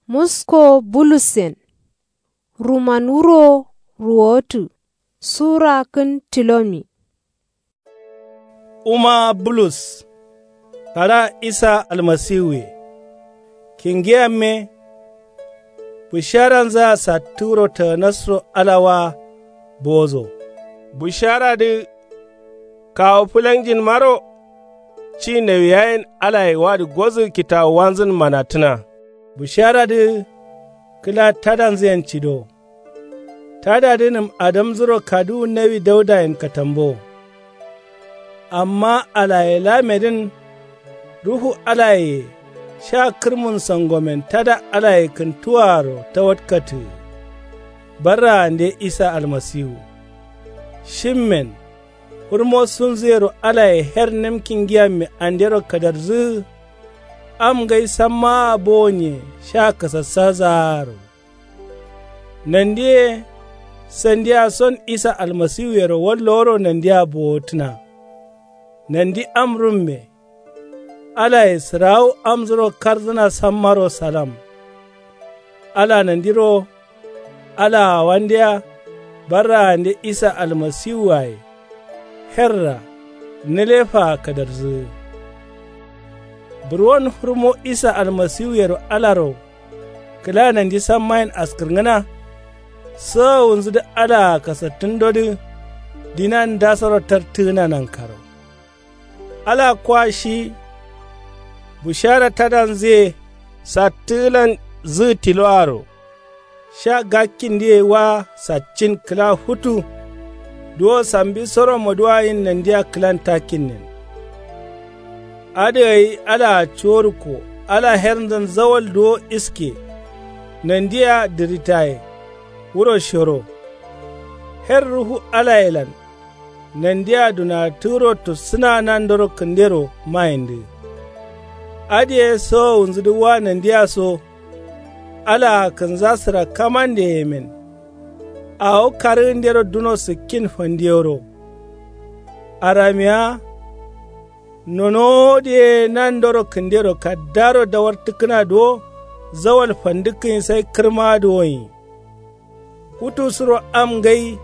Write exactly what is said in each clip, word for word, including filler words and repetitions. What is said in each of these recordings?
Musko bulussen. Ruman wuro ruwotǝ. Sura kǝn tilomi. Wuma bulus. Kada isa almasiwuye. Kingiyamme. Bisharanzǝa sattǝ wuro tǝgǝnasro ala wa. Bozo. Bisharadǝ. Kawu fǝlanjin maro. Ci nawiyayen alaye wadǝ gozǝ kitawuwanzǝn manatǝna. Bisharadǝ. Kǝla tadanzǝyen cido. Tadadǝ nǝm adamzǝro kaduwu nawi daudayen katambo. Amma alaye lamedǝn. Ruhu alayeye sha kǝrmun sangomen tada alaye kǝntuwaaro tawatkatǝ. Barraande isa almasiwu. Shimmen. Fǝrmo sunzǝyero alaye her nǝmki ngiyamme andero kadarzǝ. Am ngai sammaa bowonye sha kasassazaaro. Nandiye. Sandiya son isa almasiwuyero wallo woro nandiya bowotǝna. Nandi am rumme. Alaye sǝrawu amzuro karzǝna sammaro salam. Ala nandiro. Alaa wandeya. Barraande isa almasiwuwaye. Herra. Nǝlefaa kadarzǝ. Burwon fǝrmo isa almasiwuyero alaro. Kǝla nandi sammayen askǝrngǝna. Sowowunzǝdǝ alaa kasattǝndodǝ. Dinan ndasoro tartǝgǝna nankaro. Ala kwa shi. Bushara tadanzǝye. Sattǝgǝlan. Zǝgǝ tiloaro. Sha gakkindǝye wa saccin kǝla futu. Duwo sambi soro moduwayin nandiya kǝlan takkinnen. Adǝ gai alaa cuworukko. Ala hernzǝn zawal duwo iske. Nandiya dǝritaye. Wuro shoro. Her ruhu alayelan. Nandiya dunatǝgǝro tussǝna nandoro kǝndero mayindǝ. Adǝye sowowunzǝdǝ wa nandiya so. Alaa kǝnza sǝrakkamande yemen. Awo karǝgǝndero duno sǝkkin fandiyoro. Aramiya. Nonowo dǝ ye nandoro kǝndero kaddaro dawartǝkkǝna duwo. Zawal fandǝkkǝnyi sai kǝrma duwonyi. Futu suro am ngai.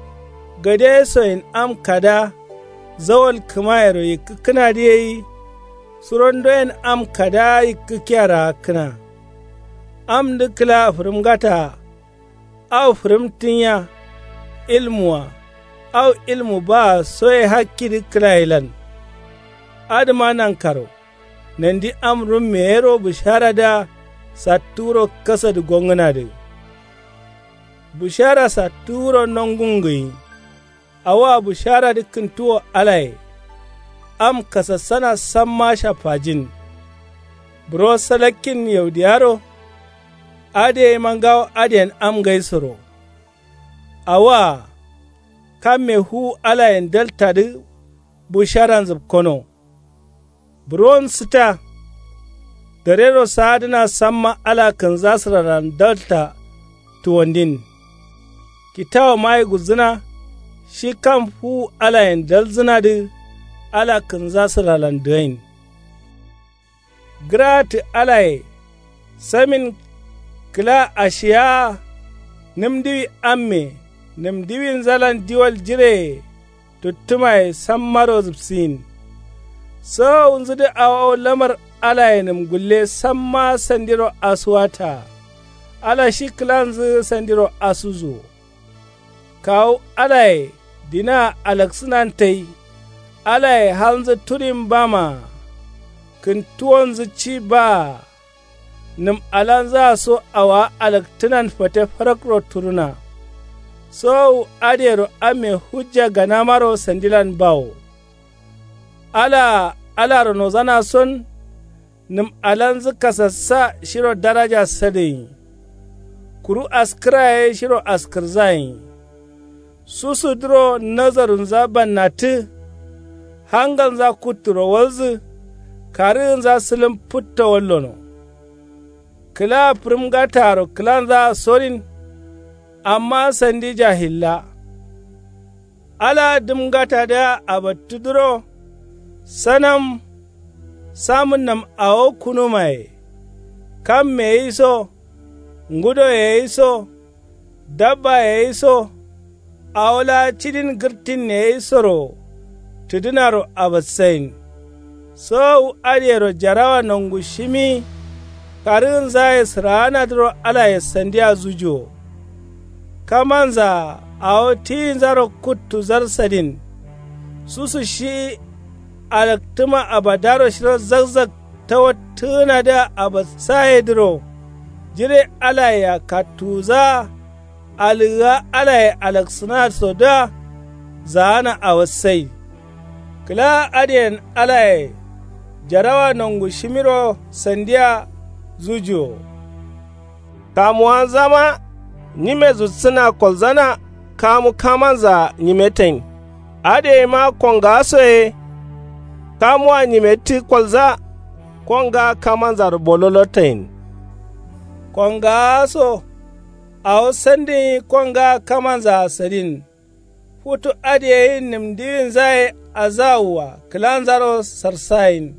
Gade soyen am kada. Zawal kǝmayero yikkǝkkǝnadǝ yeyi. Surondoyen am kada yikkǝkkiya raakkǝna. Amdǝ kǝla fǝrǝmgataa. Au fǝrǝmtǝnya. Ilmuwa. Au ilmu baa soye hakkidǝ kǝlayelan. Adǝma nankaro. Nandi am rumme yero bisharadǝa. Sattǝ wuro kasadǝ gongǝnadǝ. Bǝshara sattǝ wuro nongungǝyi. Awoa bǝsharadǝ kǝntuwo alaye. Am kasassana samma shaffajin. Buro salakkin yaudiyaro. Adǝ yema ngawo adǝyen am ngaisoro. Awoa. Kamme fuwu alayen daltadǝ. Bǝsharan zǝpkono. Buron sǝta. Darero saadǝna samma ala kǝnzasǝralan dalta. Tuwandin. Kitawo mayi gulzǝna. Shi kam fuwu alayen dalzǝnadǝ. Ala kǝnzasǝralan dǝgain. Gǝraatǝ alaye. Samin. Kǝla ashiyaa. Nǝm diwi amme. Nǝm diwinzalan diwal jireye. Tuttǝmaye sammaro zǝpsiyin. Sowowunzǝdǝ awo lamar alayenǝm gulle samma sandiro asuwataa. Ala shi kǝlanzǝ sandiro asuzuwo. Kawu alaye dinaa alaksǝnan tai. Alaye halnzǝ turin bamaa. Kǝntuwonzǝ ci baa. Nǝm alanzǝa so awowa alaktǝnan fate farakro turuna. Sowowu adǝyero amme hujja ganamaro sandilan bawo. Alaa alaro nozana son. Nǝm alanzǝ kasassa shiro daraja sadǝgǝnyi. Kuru askǝra ye shiro askǝrzayenyi. Susudǝro nazarunza bannattǝ. Hangalnza kutturo walzǝ. Karǝgǝnza sǝlǝm fǝtto wallono. Kǝla fǝrǝmgataaro kǝlanzaa sorin. Amma sandi jahilla. Ala dǝmngatadǝa abattudǝro. Sanam. Samǝnnam awo kunumaye. Kamme gǝyi so. ngudo ye yiso dabba ye yiso awo laa cidin gǝrtin ye yisoro tǝdǝnaro abassayin. Sowowu adǝyero jarawa nongushimi karǝgǝnzaye sǝraanadǝro alaye sandiya zujuwo. Kamanzaa awo tiyinzaro kuttuzar sadin susu shi alaktǝma abadaro shiro zakzak tawattǝgǝnadǝa abassayedǝro jire alayea kattuwuzaa alǝgǝa alaye alaksǝnasodǝa zaana awassai. Kǝlaa adǝyen alaye jarawa nongushimiro sandiya zujuwo. Kamuwanzama nyime zutsǝna kolzana kamu kamanzaa nyimetain. Adǝyeima kongaaso ye kamuwa nyimettǝ kolza kongaa kamanzaro bololotain. Kongaaso awo sandǝnyi kongaa kamanzaa sadin. Futu adǝyeyin nǝmdiwinzaye azawua kǝlanzaro sarsayin.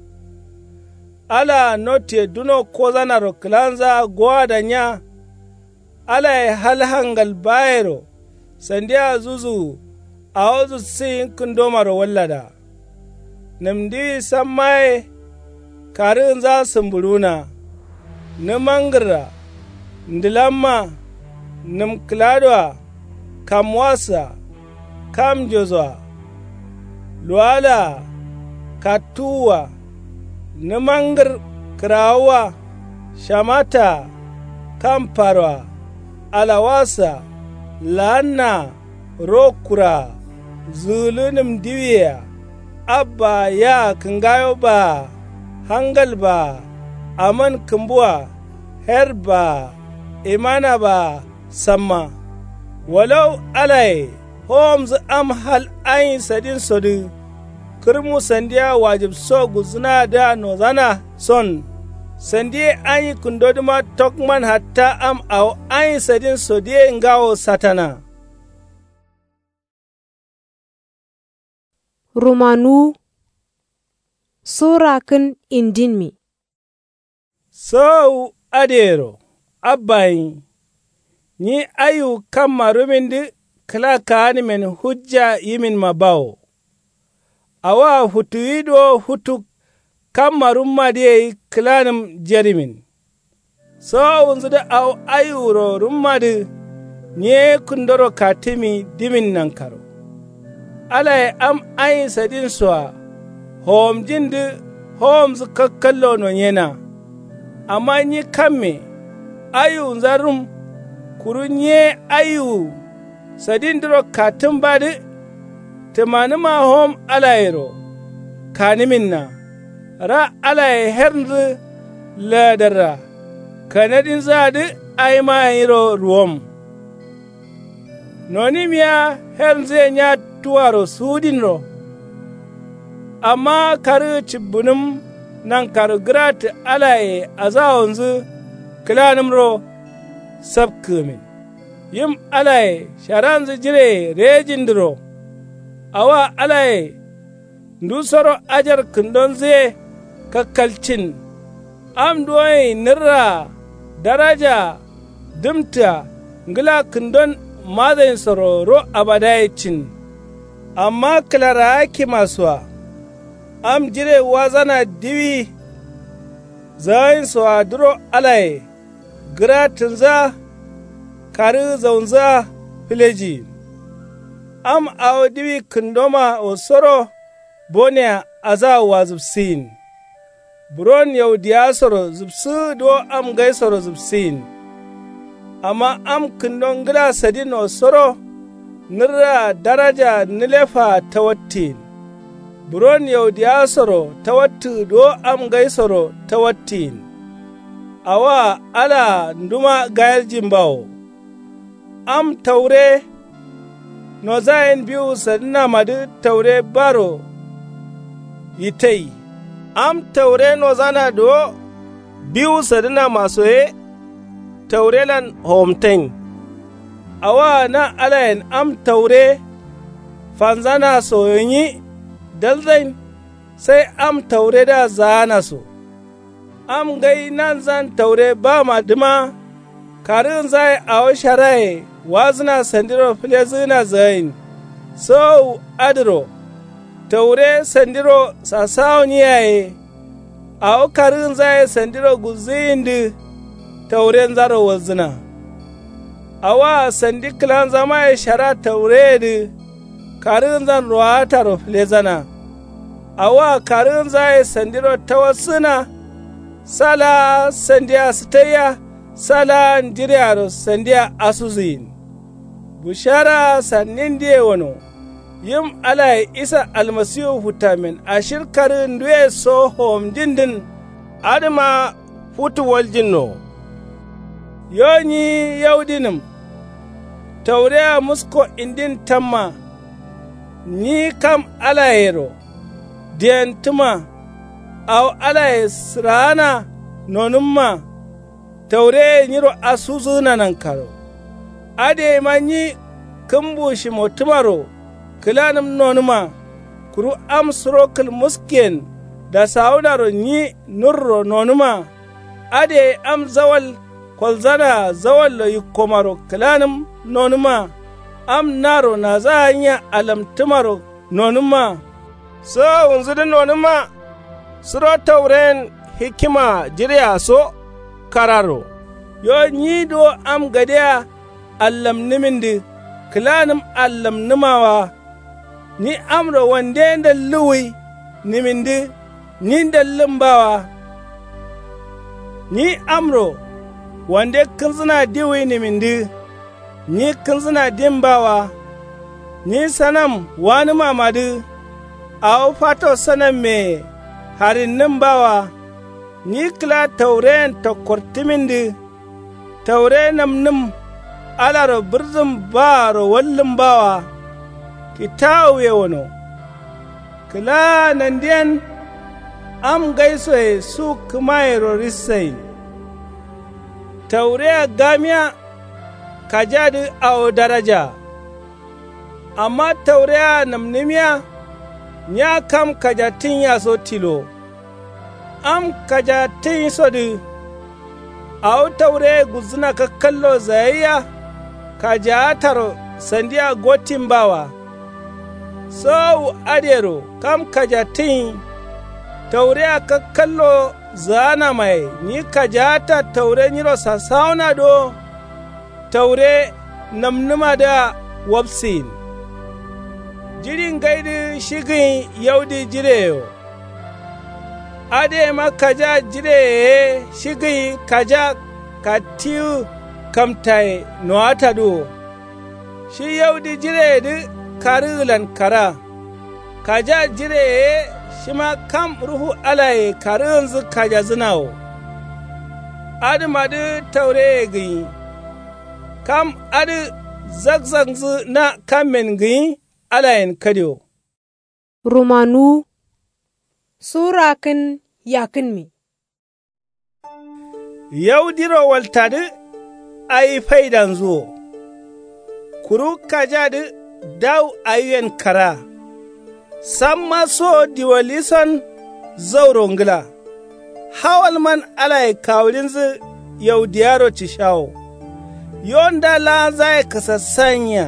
Alaa notiye duno kozanaro kǝlanzaa gowada nya. Alaye hal hangal bayero sandiya zuzuwu awo zussǝyin kǝndomaro wallada. Nǝmdiwi samma ye karǝgǝnza sǝmbǝɍuwuna. Nǝmangǝrra ndǝlamma nǝmkǝladoa kamwasǝa kamnjosoa luwalaa kattuwua nǝmangǝr kǝrawuwa shamataa kamparoa alawasǝa laannaa rokkuraa zǝgǝlǝ nǝmdiwiyea abbaa yaa kǝngayo baa hangal baa aman kǝmbua her baa imana baa samma. Walau alaye howomzǝ am hal anyi sadinsodǝ kǝrmu sandiya wajibso gulzǝnadǝa nozana son sandiye anyi kǝndodǝma tokman hatta am awo anyi sadinsodǝye ngawo satana. Rumanuwu. Sura kǝn indinmi. Sowowu adǝyero abbayin nyi aiwu kamma rumindǝ kǝla kaanimen hujja yiminma bawo. Awoa futuwi duwo futu kamma rummadǝ yei kǝlanǝm jerimin. Sowowunzǝdǝ awo aiwuro rummadǝ nyi ye kǝndoro katǝmi dimin nankaro. Alaye am anyi sadinsoa howomjindǝ howomzǝ kakkallo nonyena. Amma nyi kamme aiwunza rum kuru nyi ye aiwu sadindǝro katǝmbadǝ. Tǝmanǝma howom alayero kanǝminna ra alaye hernzǝ laadarra kanadinzǝadǝ aimayero ruwom. Nonimiya hernzǝye nya tuwaro suwudinro. Amma karǝgǝ cibbǝnǝm nankaro gǝrattǝ alaye azawonzǝ kǝlanǝmro sapkǝgǝmin. Yim alaye sharanzǝ jireye rejindǝro. Awoa alaye ndusoro ajar kǝndonzǝye kakkalcin. Am duwonyi nǝrraa darajaa dǝmtǝa ngǝla kǝndon mazayinsoro ro abadaye cin. Amma kǝlaraakkimasoa am jire wazana diwi zawayinsoadǝro alaye gǝrattǝnzǝa karǝgǝ zaunzǝa fǝlejiyin. Am awo diwi kǝndomawo soro bonea azawoa zǝbsǝyin. Buron yaudiyasoro zǝbsǝgǝ duwo am ngaisoro zǝbsǝyin. Amma am kǝndo ngǝla sadinno soro nǝrraa darajaa nǝlefaa tawattǝyin. Buron yaudiyasoro tawattǝgǝ duwo am ngaisoro tawattǝyin. Awoa alaa nduma gayaljin bawo. Am taure nozayen biwu sadǝnamadǝ taure baro yitai. Am taure nozana duwo biwu sadǝnamaso ye taurelan howomtain. Awoa na alayen am taure fanzanasoyonyi dalzain. Sai am tauredǝa zaanaso am ngai nanzan taure bamadǝma. Karǝgǝnzaye awo sharaye wazǝna sandiro fǝlezǝgǝna zǝgain. Sowowu adǝro taure sandiro sasawo ni yaye. Awo karǝgǝnzaye sandiro gulzǝgǝyindǝ taurenzaro walzǝna. Awoa sandi kǝlanzamaye shara taureyedǝ karǝgǝnzan rowataro fǝlezana. Awoa karǝgǝnzaye sandiro tawassǝgǝna. Sa laa sandia sǝtaiya. Sa laa jirearo sandia asuzǝyin. Bushara sannindiye wano. Yim alaye isa almasiwu futtamen ashir karǝgǝnduwe so howomjindǝn. Adǝma futu waljinno. Yo nyi yaudinǝm. Taureya musko indin tamma. Nyi kam alayero diyentǝma. Awo alaye sǝraana nonǝmma. Taureye nyiro asuzǝgǝna nankaro. Adǝyeima nyi kǝmbu shimottǝmaro kǝlanǝm nonǝma. Kuru am suro kǝl muskiyen dasawunaro nyi nurro nonǝma. Adǝ yayi am zawal kolzanaa zawallo yikkomaro kǝlanǝm nonǝma. Am naro nazaganya alamtǝmaro nonǝma. Sowowunzudǝ nonǝma. Suro tauren hikima jireya so kararo. Yo nyi duwo am gadea allamnǝmindǝ kǝlanǝm allamnǝma wa. Nyi amro wande ndalluwwi nimindǝ nyi ndallǝmba wa. Nyi amro wande kǝnzǝna diwwi nimindǝ nyi kǝnzǝna dimba wa. Nyi sanam wanǝmamadǝ awo fato sanammeye harinnǝmba wa. Nyi kǝla taureyen tokkortǝmindǝ taure namnǝm alaro bǝrzǝm baaro wallǝmba wa. Kitawuye wano. Kǝlaa nandiyen am ngaisoye su kǝmayero rissayin. Taureya gamiya kajadǝ awo darajaa. Amma taureya namnǝmiya nya kam kajattǝnyiya so tilo. Am kajattǝnyisodǝ awo taureye gulzǝna kakkallo zagaiya. Kajaataro sandia gottimba wa. Sowowu adǝyero kam kajattǝnyi. Taureya kakkallo zaganamaye nyi kajaata taure nyiro sasawuna duwo. Taure namnǝmadǝa wapsiyin. Jiɍi ngaidǝ shi gǝnyi yaudi jireyewo. Adǝyeima kaja jireye ye shi gǝnyi kaja kattiwu kamtaye nowatadǝ wo. Shi yaudi jireyedǝ karǝgǝlan kara. Kaja jireye ye shima kam ruhu alaye karǝgǝnzǝ kajadzǝna wo. Adǝmadǝ taureye gǝnyi. Kam adǝ zakzaknzǝ na kammen gǝnyi alayen kadio. Rumanuwu. Sura kǝn yakǝnmi. Yaudiro waltadǝ awi faidanzǝ wo. Kuru kajadǝ dawu awiyen kara. Samma so diwalison zauro ngǝla. Hawalman alaye kawuɍinzǝ yaudiyaro cishawo. Yo nda laanzaye kasassanyia.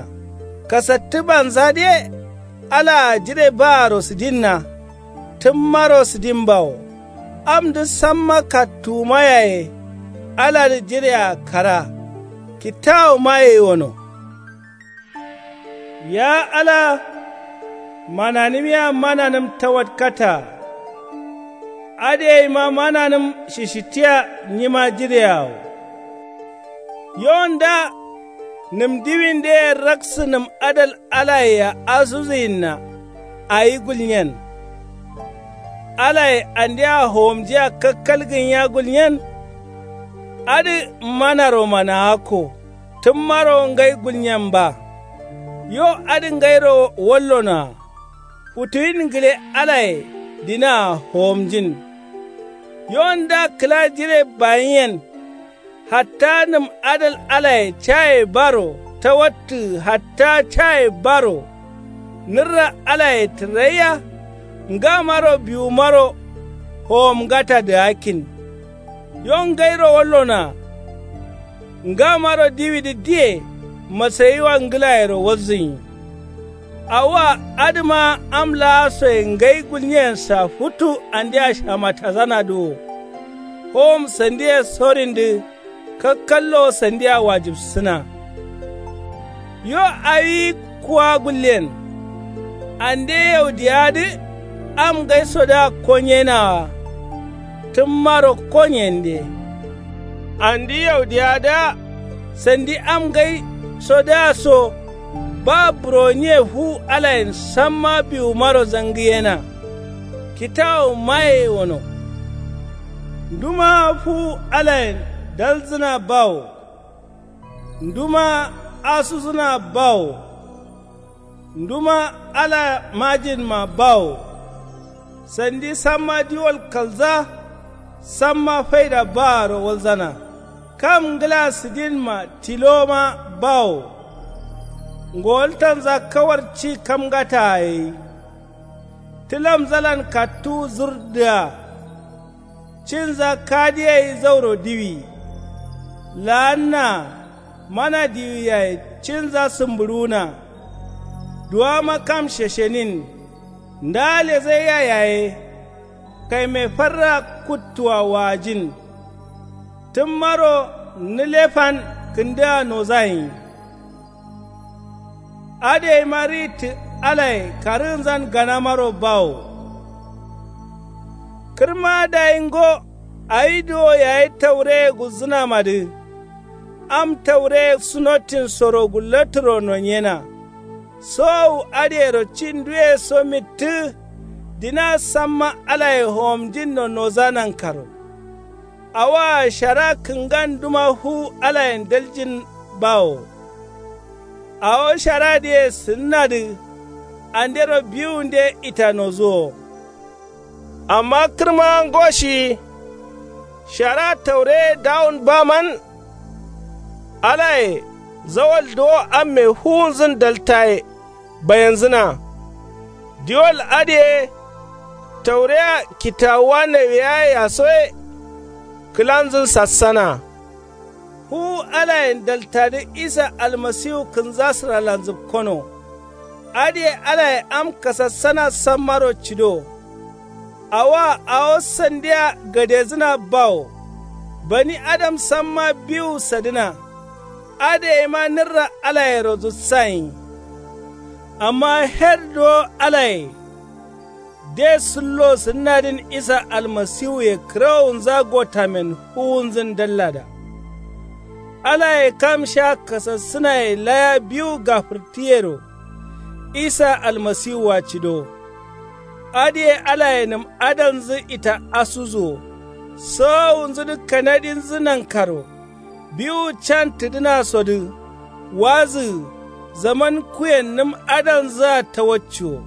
Kasattǝbanzadǝ ye alaa jire baaro sǝdinna. Tǝmmaro sǝdimbawo. Amdǝ samma kattuwuma yaye. Aladǝ jirea kara. Kitawuma yeiwono. Ya ala mananǝmiya mananǝm tawatkata. Adǝ yaima mananǝm shishittiya nyima jireawo. Yo nda nǝm diwindeye raksǝ nǝm adal alayea asuzǝyinna. Awi gulnyen. Alaye andea howomjiya kakkal gǝnya gulnyen. Adǝ manaro managakko. Tǝmmaro ngai gulnyen ba. Yo adǝ ngairo wallonoa. Futuwin ngǝle alaye dinaa howomjin. Yo nda kǝla jire bayiyen. Hatta nǝm adal alaye caye baro tawattǝ hatta caye baro. Nǝrra alaye tǝraiya. Ngamaro biwumaro howomngatadǝgakkin. Yo ngairo wallonoa. Ngamaro diwidǝ diye masayiwa ngǝlayero walzǝnyi. Awoa adǝma am laasoye ngai gulnyeyensa futu andea shamatazanadǝ wo. Howom sandiye sorindǝ kakkallowo sandia wajibsǝna. Yo awi kuwa gullen. Ande yaudiyadǝ am ngaisodǝa konyenawa. Tǝmmaro konyende. Andi yaudiyadǝa sandi am ngaisodǝa so. Ba buroniye fu alayen samma biwumaro zangǝyena. Kitawu maye wono. Nduma fu alayen dalzǝna bawo. Nduma asuzǝna bawo. Nduma ala majinma bawo. Sandi samma diwol kalza. Samma faida baaro walzana. Kam ngǝla sǝdinma tiloma bawo. Ngowaltanza kawar ci kamgataa yeyi. Tǝlamzalan kattuwu zurdǝa. Cinza kadiyeyi zauro diwi. Laanna mana diwi yaye cinza sǝmbǝɍuwuna. Duwama kam sheshenin. Nda lezaiya yaye. Kaime farra kuttua waajin. Tǝmmaro nǝle fan kǝndǝa nozayin. Adǝ yeima rittǝ alaye karǝgǝnzan ganamaro bawo. Kǝrma dayi ngo awi duwo yayi taureye gulzǝnamadǝ. Am taureye sunotin soro gullatǝro nonyena. Sowowu adǝyero ci nduye so mittǝ. Dina samma alaye howomjinno noza nankaro. Awoa shara kǝngan duma fu alayen daljin bawo. Awo sharadǝye sǝnnadǝ andero biwunde ita nozuwo. Amma kǝrma ngo shi shara taureye dawun baman. Alaye zawal duwo amme fuwunzǝn daltaye bayenzǝna. Diwol adǝye taureya kitawuwa nawiyaye yasoye. Kǝlanzǝn sassana. Fuwu alayen daltadǝ isa almasiwu kǝnza sǝralanzǝbkono. Adǝye alaye am kasassana sammaro cido. Awoa awo sandiya gadezǝna bawo. Bani adam samma biwu sadǝna. Adǝ yeima nǝrra alayero zutsayin. Amma her duwo alaye de sǝllo sǝnnadǝn isa almasiwuye kǝrawunza gotamen fuwunzǝn dallada. Alaye kam sha kasassǝnaye laya biwu gafǝrtǝyero. Isa almasiwua cido. Adǝye alayenǝm adalnzǝ ita asuzu wo. Sawawunzǝdǝ kanadinzǝ nankaro. Biwu can tǝdǝnasodǝ. Wazǝgǝ zaman kuyennǝm adalnzǝa tawacci wo.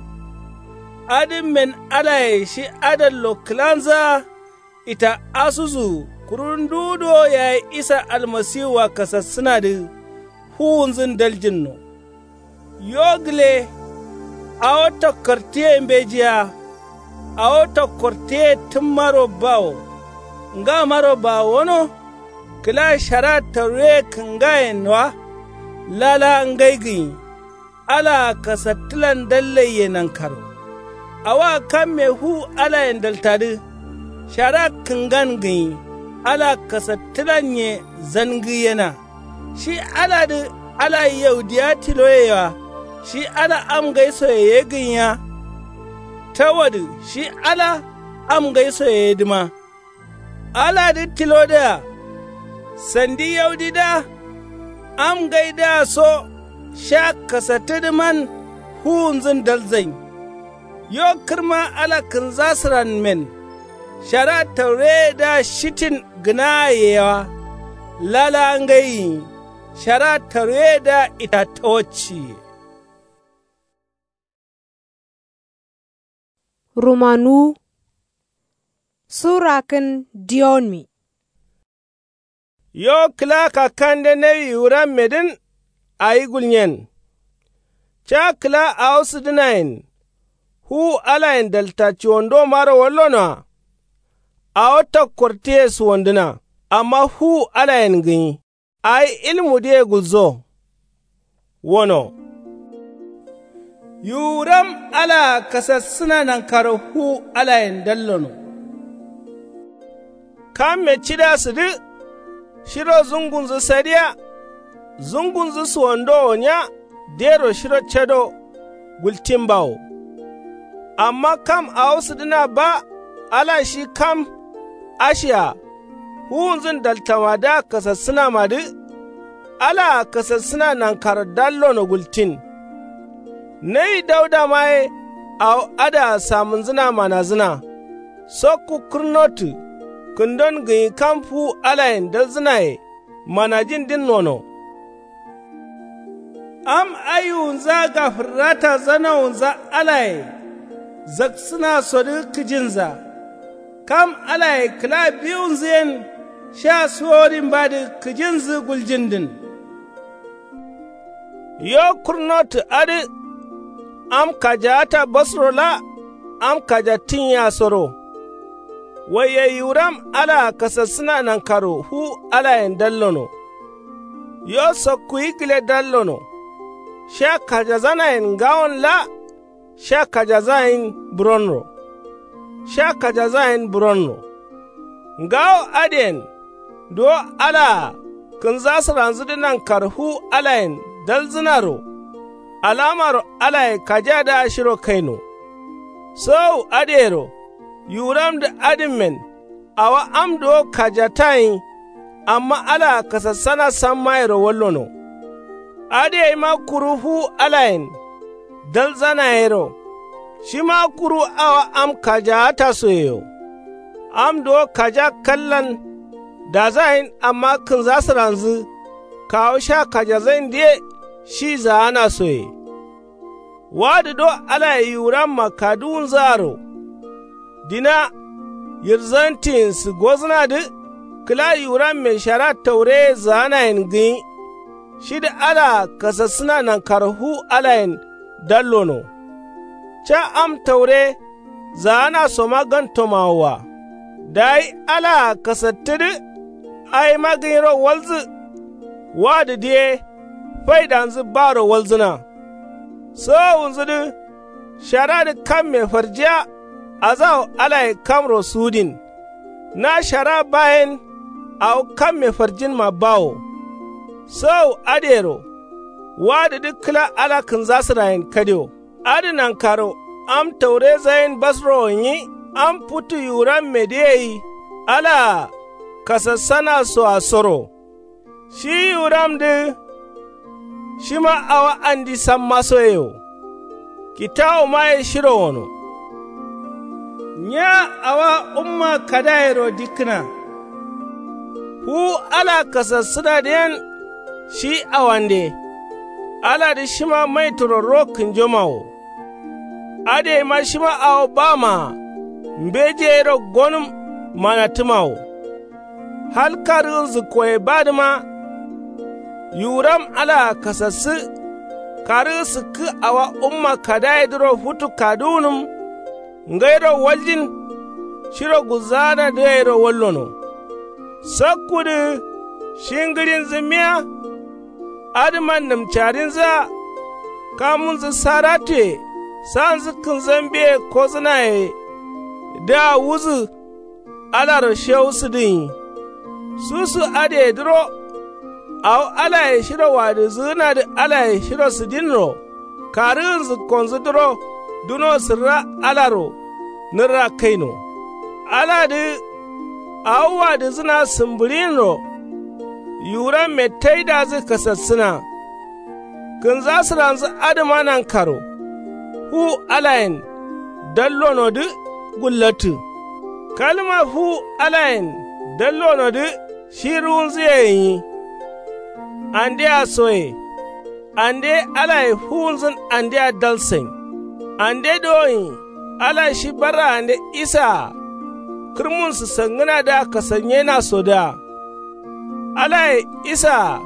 Adǝmmen alaye shi adallo kǝlanzǝa. Ita asuzu kuru nduwu duwo yayi isa almasiwua kasassǝnadǝ. Fuwunzǝn daljinno. Yo gǝle. Awo tokkortǝye mbejiya. Awo tokkortǝye tǝmmaro bawo. Ngamaro bawono. Kǝla shara tauroye kǝngayen wa. Lala ngai gǝnyi. Alaa kasattǝlan dallaiye nankaro. Awoa kamme fu alayen daltadǝ. Shara kǝngan gǝnyi. Alaa kasattǝlanye zangǝyena. Shi aladǝ ala yaudiya tiloye wa. Shi ala am ngaisoye ye gǝnya. Tawodǝ shi ala am ngaisoye yedǝma. Aladǝ tilodǝa. Sandi yaudidǝa. Am ngaidǝa so sha kasattǝdǝman. Fuwunzǝn dalzain. Yo kǝrma ala kǝnza sǝranmen. Shara taureyedǝa shitin gǝnaa yewa. Lala ngaiyi. Shara taureyedǝa ita tawacciye. Rumanuwu. Sura kǝn diyonmi. Yo kǝla kakkande nawi wurammedǝn. Awi gulnyen. Ca kǝla awo sǝdǝnayen. Fuwu alayen dalta cuwondomaro wallonoa. Awo tokkortǝye suwondǝna. Amma fuwu alayen gǝnyi. Awi ilmudǝye gulzo. Wono yuwuram alaa kasassǝna nankaro fuwu alayen dallono. Kamme cida sǝdǝ shiro zungunzǝ sadiya. Zungunzǝ suwando wonya dero shiro cado gultin bawo. Amma kam awo sǝdǝna ba ala shi kam ashiya fuwunzǝn daltamadǝa kasassǝnamadǝ. Alaa kasassǝna nankaro dallono gultin. Nayi daudama ye awo adǝa samǝnzǝna manazǝna. Sokku kǝrnotǝ kǝndon gǝnyi kam fuwu alayen dalzǝnaye manajindin wono. Am ayiwunzǝa gafǝrrata zanawunza alaye zaksǝnasodǝ kǝjinza. Kam alaye kǝla biwunzǝyen sha suworin badǝ kǝjinzǝ guljindǝn. Yo kurnotǝ adǝ am kajaata basro la am kajattǝnyiyasoro. Waiye yiwuram alaa kasassǝna nankaro fuwu alayen dallono. Yo sokkuyi gǝle dallono. Sha kajazanayen ngawon la sha kajazayin buronro. Sha kajazayin buronro. Ngawo adǝyen duwo alaa kǝnzasǝranzǝdǝ nankaro fuwu alayen dalzǝnaro. Alamaro alaye kajadǝa shiro kaino. Sowowu adǝyero yiwuramdǝ adǝmmen awo am duwo kajatayin. Amma alaa kasassana sammayero wallono. Adǝ yaima kuru fuwu alayen dalzanayero. Shima kuru awo am kajaatasoyeyo. Am duwo kaja kallan dazayin amma kǝnzasǝranzǝ kawu sha kajazayindǝye shi zaanasoye. Wadǝ do alaye yiwuramma kaduwunzǝaro. Dina yirzantiyin sǝgozǝnadǝ kǝla yiwuramme shara taureye zaanayen gǝnyi. Shidǝ alaa kasassǝna nankaro fuwu alayen dallono. Ca am taure zaanasoma gantomawoa. Dayi alaa kasattǝdǝ awima gǝnyiro walzǝ. Wadǝdǝ ye faidanzǝ baro walzǝna. Sowowunzǝdǝ sharadǝ kamme farjiya. Azawo alaye kamro sudin. Na shara bayen awo kamme farjinma bawo. Sowowu adǝyero wadǝdǝ kǝla ala kǝnzasǝrayen kadio. Adǝ nankaro am taurezayen basro gǝnyi am futu yiwurammedǝ yei. Alaa kasassanasoa soro. Shi yiwuramdǝ shima awo andi sammasoye wo. Kitawomaye shiro wono. Nya awa umma kadayero dikkǝna. Fuwu ala kasassǝnadǝyen shi awande. Aladǝ shima maituro ro kǝnjomawo. Adǝ yaima shima awo bamaa mbejeyero gonǝm manattǝmawo. Hal karǝgǝnzǝkkoye badǝma. Yiwuram alaa kasassǝ karǝgǝ sǝkkǝ awa umma kadayedǝro futu kaduwunǝm. Ngairo waljin shiro gulzaanadǝ gairo wallono. Sakkudǝ shi ngǝɍinzǝ miya. Adǝman nǝmcarinzǝa kamunzǝ saratuye sanzǝ kǝnzambiye kozǝnayedǝa wuzǝ. Alaro shewusǝdǝ gǝnyi susu adǝyedǝro. Awo alaye shiro wadǝzǝgǝnadǝ alaye shiro sǝdinro. Karǝgǝnzǝkkonzǝdǝro duno sǝrra alaro nǝrra kaino. Aladǝ awo wadǝzǝna sǝmbǝɍinro. Yiwuramme taidadǝ kasassǝna. Kǝnzasǝranzǝ adǝma nankaro fuwu alayen dallonodǝ gullattǝ. Kalma fuwu alayen dallonodǝ shi ruwunzǝye gǝnyi. Andea soye. Ande alaye fuwunzǝn andea dalsain. Ande dowoin ala shi barraande isaa kǝrmun sǝsangǝnadǝa kasanyenasodǝa. Alaye isaa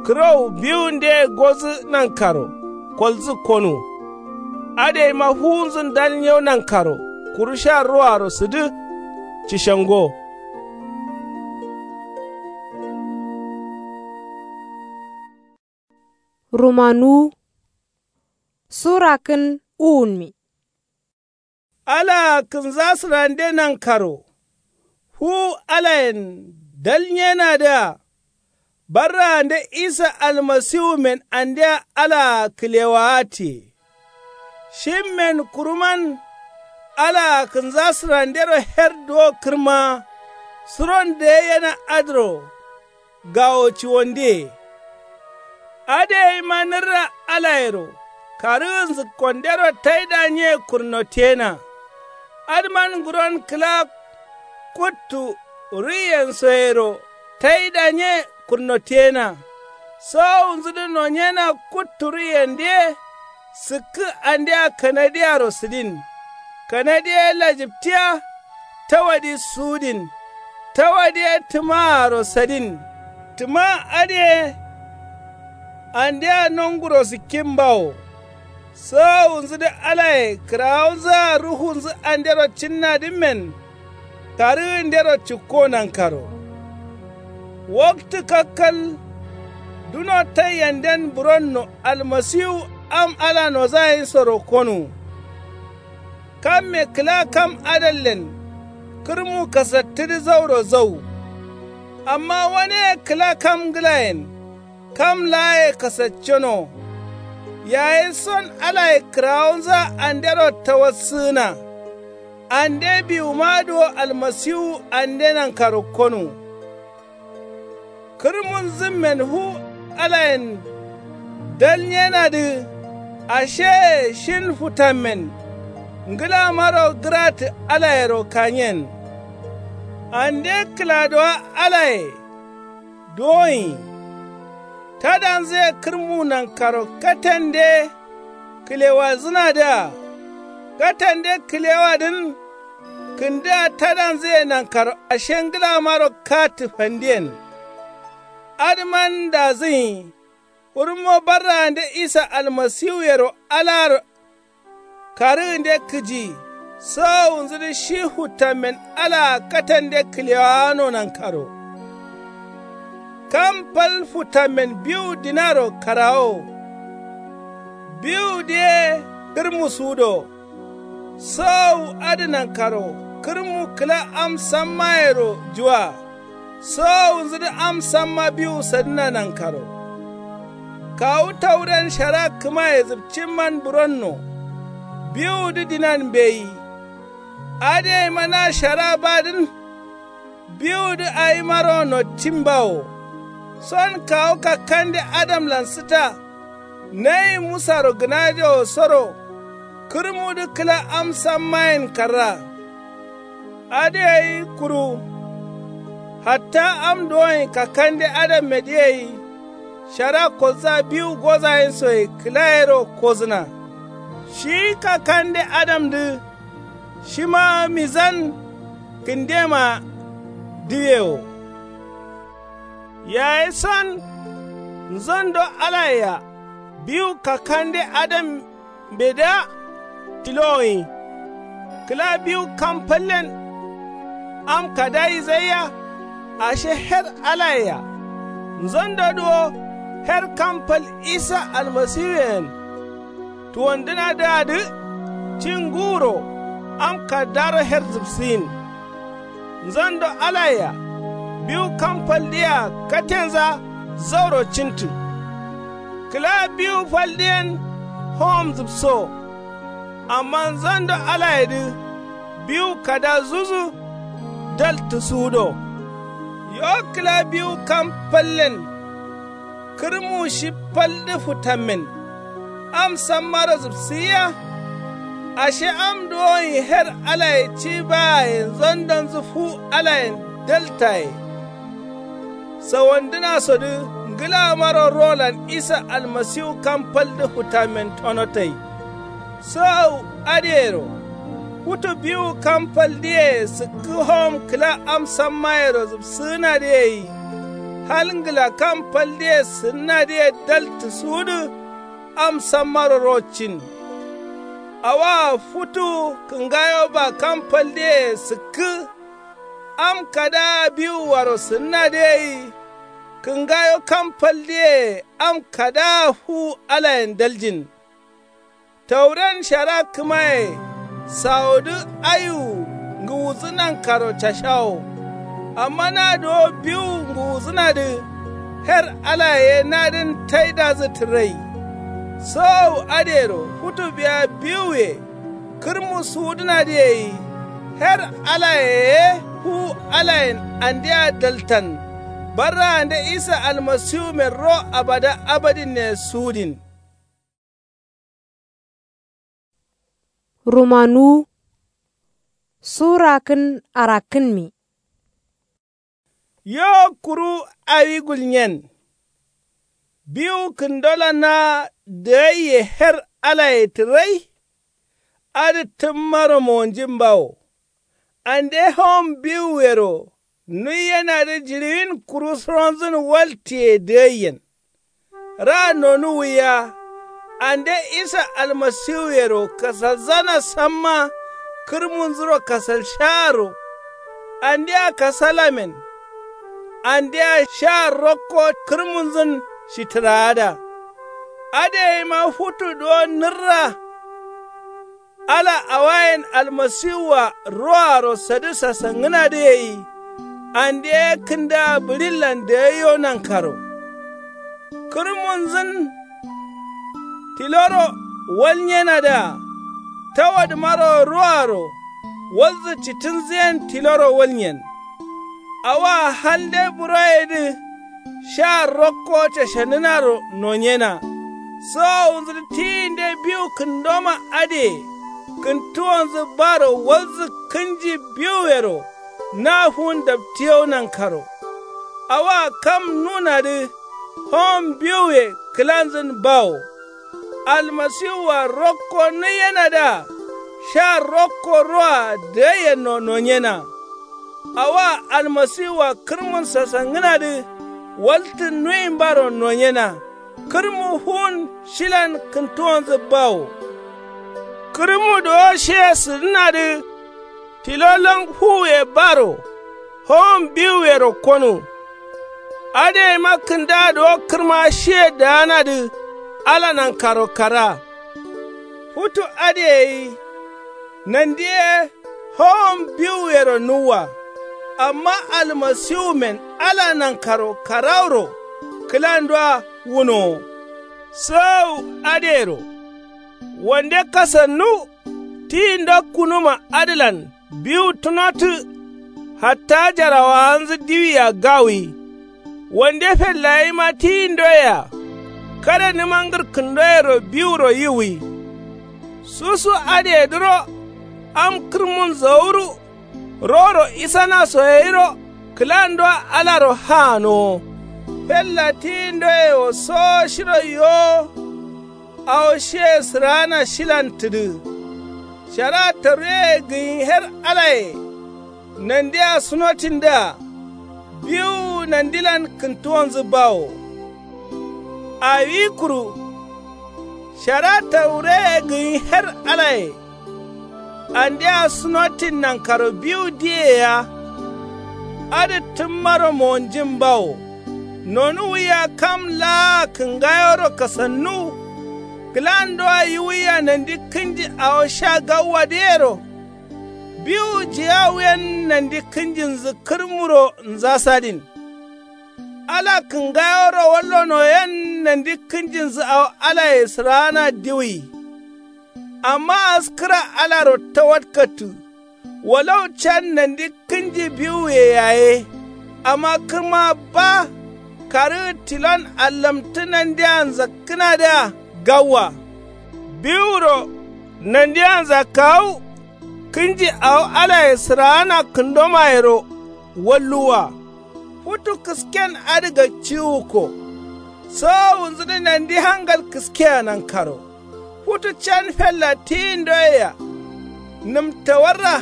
kǝrowu biwundeye gozǝ nankaro kolzǝ konu. Adǝ yaima fuwunzǝn dal nyew nankaro kuru sha ruwaro sǝdǝ. Cishango. Rumanuwu. Sura kǝn uwunmi. Alaa kǝnzasǝrande nankaro fuwu alayen dalnyenadǝa barraande isa almasiwumen andea alaa kǝlewaatiye. Shimmen kuruman alaa kǝnzasǝrandero her duwo kǝrmaa suron dǝyeiyena adǝro gawo ciwondiye. Adǝ yeima nǝrra alayero karǝgǝnzǝkkondero taidanye kurnotiyena. Adǝman nguron kǝla kuttu ruiyensoyero taidanye kurnotiyena. Sowowunzudǝ nonyena kuttu ruiyendǝ ye sǝkkǝ andea kanadiyaro sǝdin. Kanadi ye lajǝptiya tawadi suwudin. Tawadi ye tǝmaaro sadin. Tǝma adǝ ye andea nonguro sǝkkin bawo. Sowowunzudǝ alaye kǝrawonzǝa ruhunzǝ andero cinnadǝmmen karǝgǝndero cikko nankaro. Waktǝ kakkal duno taiyenden buronno almasiwu am ala nozayinsoro konuwu. Kamme kǝla kam adallen kǝrmu kasattǝdǝ zauro zau. Amma waneye kǝla kam ngǝlayen kam laaye kasacceno. Yayi son alaye kǝrawonzǝa andero tawassǝgǝna. Ande biwumadǝ wo almasiwu ande nankaro konuwu. Kǝrmunzǝmmen fu alayen dalnyenadǝ asheye shin futammen ngǝlamaro gǝratǝ alayero kanyen. Ande kǝladowa alaye duwoyi tadanzǝye kǝrmu nankaro katende kǝlewadzǝnadǝa. Katende kǝlewadǝn kǝndǝa tadanzǝye nankaro ashe ngǝlamaro katǝ fandiyen. Adǝman dazǝnyi. Kurunmo barraande isa almasiwuyero alaro karǝgǝnde kǝji. Sowowunzudǝ shi futammen alaa katande kǝlewawano nankaro. Kam fal futammen biwu dinaro karawowo. Biwudǝ ye kǝrmu suwudo. Sowowu adǝ nankaro kǝrmu kǝla am sammayero juwa. Sowowunzudǝ am samma biwu sadǝna nankaro. Kawu tauren shara kǝmaye zǝpcimman buronno. Biwudǝ dinan mbeyi. Adǝ yeima na shara badǝn. Biwudǝ awimaro nottin bawo. Son kawu kakkande adamlan sǝta. Nayi musaro gǝnajewo soro kǝrmudǝ kǝla am sammayen karra. Adǝ gai kuru hatta am duwonyi kakkande adammedǝ gai shara kodzǝa biwu gozayinsoye kǝlayero kozǝna. Shi kakkande adamdǝ shima mizan kǝndema diwe wo. Yayi son nzondo alayea biwu kakkande adambedǝa tilowoyi. Kǝla biwu kam fallen am kada yizaiya ashe her alayea. Nzondodǝ wo her kam fal isa almasiwuyen tuwandǝnadǝadǝ ci nguro am kaddaro her zǝpsǝyin. Nzondo alayea biwu kam faldǝyea katenza zauro cintǝ. Kǝla biwu faldǝyen howom zǝpso. Amma nzondo alayedǝ biwu kada zuzu daltǝ suwudo. Yo kǝla biwu kam fallen kǝrmu shi faldǝ futammen am sammaro zǝpsǝyiya. Ashe am duwonyi her alaye ci bayaye nzondonzǝ fu alayen daltaye. Sawandǝnasodǝ ngǝlamaro rolan isa almasiwu kam faldǝ futammen tonotai. Sowowu adǝyero futu biwu kam faldǝye sǝkkǝ howom kǝla am sammayero zǝpsǝgǝnadǝ gai. Hal ngǝla kam faldǝye sǝnnadǝye daltǝ suwudǝ am sammaro rocin. Awoa futu kǝngayoba kam faldǝye sǝkkǝ am kadaa biwuaro sǝnnadǝ gai. Kǝngayo kam faldǝye am kadaa fu alayen daljin. Tauren shara kǝmaye sawodǝ aiwu ngǝwudǝ nankaro cashawo. Amma na duwo biwu ngǝwudǝnadǝ her alaye ye nadǝn taidazǝ tǝrai. Sowowu adǝyero futu biya biwuye kǝrmu suwudǝnadǝ yeyi. Her alaye ye fu alayen andea daltan. Barraande isa almasiwumen ro abada abadinne suwudin. Rumanuwu sura kǝn arakkǝnmi. Yo kuru awi gulnyen biwu kǝndolanna dǝgaiye her alaye tǝrai. Adǝ tǝmmaro monjin bawo. Ande howom biwuyero nuiyenadǝ jiɍiwin kuru suronzǝn waltiye dǝgaiyen. Ra nonuwwiya ande isa almasiwuyero kasalzana samma kǝrmunzuro kasalsharo. Andea kasalamen andea sha rokko kǝrmunzǝn shitǝraada. Adǝ yeima futu duwo nǝrra ala awayen almasiwua roaro sadǝ sasangǝnadǝ yeyi. Ande ye kǝndaa bǝɍillan dagaiyo nankaro kǝrmunzǝn tiloro walnyenadǝa. Tawadǝmaro roaro walzǝ citǝnzǝyen tiloro walnyen. Awoa halde buroyedǝ sha rokko cashanǝnaro nonyena. Sowowunzǝdǝ tiyinde biwu kǝndoma adǝye kǝntuwonzǝ baro walzǝ kǝnji biwuyero na fuwun daptiyo nankaro. Awoa kam nunadǝ howom biwuye kǝlanzǝn bawo. Almasiwua rokko nuiyenadǝa sha rokko roa dǝgaiyenno nonyena. Awoa almasiwua kǝrmun sasangǝnadǝ waltǝ nuimbaro nonyena. Kǝrmu fuwun shilan kǝntuwonzǝ bawo. Kǝrmu duwo shiye sǝdǝnadǝ tilo lon fuwuye baro howom biwuyero konu. Adǝ yeima kǝndaa duwo kǝrma shiye daanadǝ ala nankaro kara. Futu adǝ yeyi nandi ye howom biwuyero nuwwa. Amma almasiwumen ala nankaro karauro kǝlandua wunowo. Sowowu adǝyero wande kasannu tiyindo kunuma adǝlan biwu tunotǝ. Hatta jarawawanzǝ diwia gawi. Wande fellayima tiyindoyea kada nǝmangǝr kǝndoyero biwuro yiwwi. Susu adǝyedǝro am kǝrmun zawuru roro isanaso yayiro kǝlandua alaro haanowo. Fella tiyindoye wo sowo shiro yowo. Awo shiye sǝraana shilan tǝdǝ. Shara taruyeye gǝnyi her alaye nandea sunotindǝa biwu nandilan kǝntuwonzǝ bawo. Awi kuru shara taruyeye gǝnyi her alaye andea sunotin nankaro biwu diye ya. Adǝ tǝmmaro monjin bawo. Nonuwwiya kam laa kǝngayoro kasannuwu. Kǝlandua yiwwiya nandi kǝnji awo sha gawwadǝyero. Biwu jiyawuyen nandi kǝnjinzǝ kǝrmuro nzasadin. Ala kǝngayoro wallonoyen nandi kǝnjinzǝ awo alaye sǝraana diwwi. Amma askǝra alaro tawadkattǝ. Walau can nandi kǝnji biwuye yaye. Amma kǝrma ba karǝgǝ tilon allamtǝ nandia nzakkǝnadǝa gawwa. Biwuro nandia nzakkawu kǝnji awo alaye sǝraana kǝndomayero walluwwa. Futu kǝsken adǝ gakciwukko. Sowowunzǝdǝ nandi hangal kǝskea nankaro. Futu can fella tiyindoyea nǝmtawarra.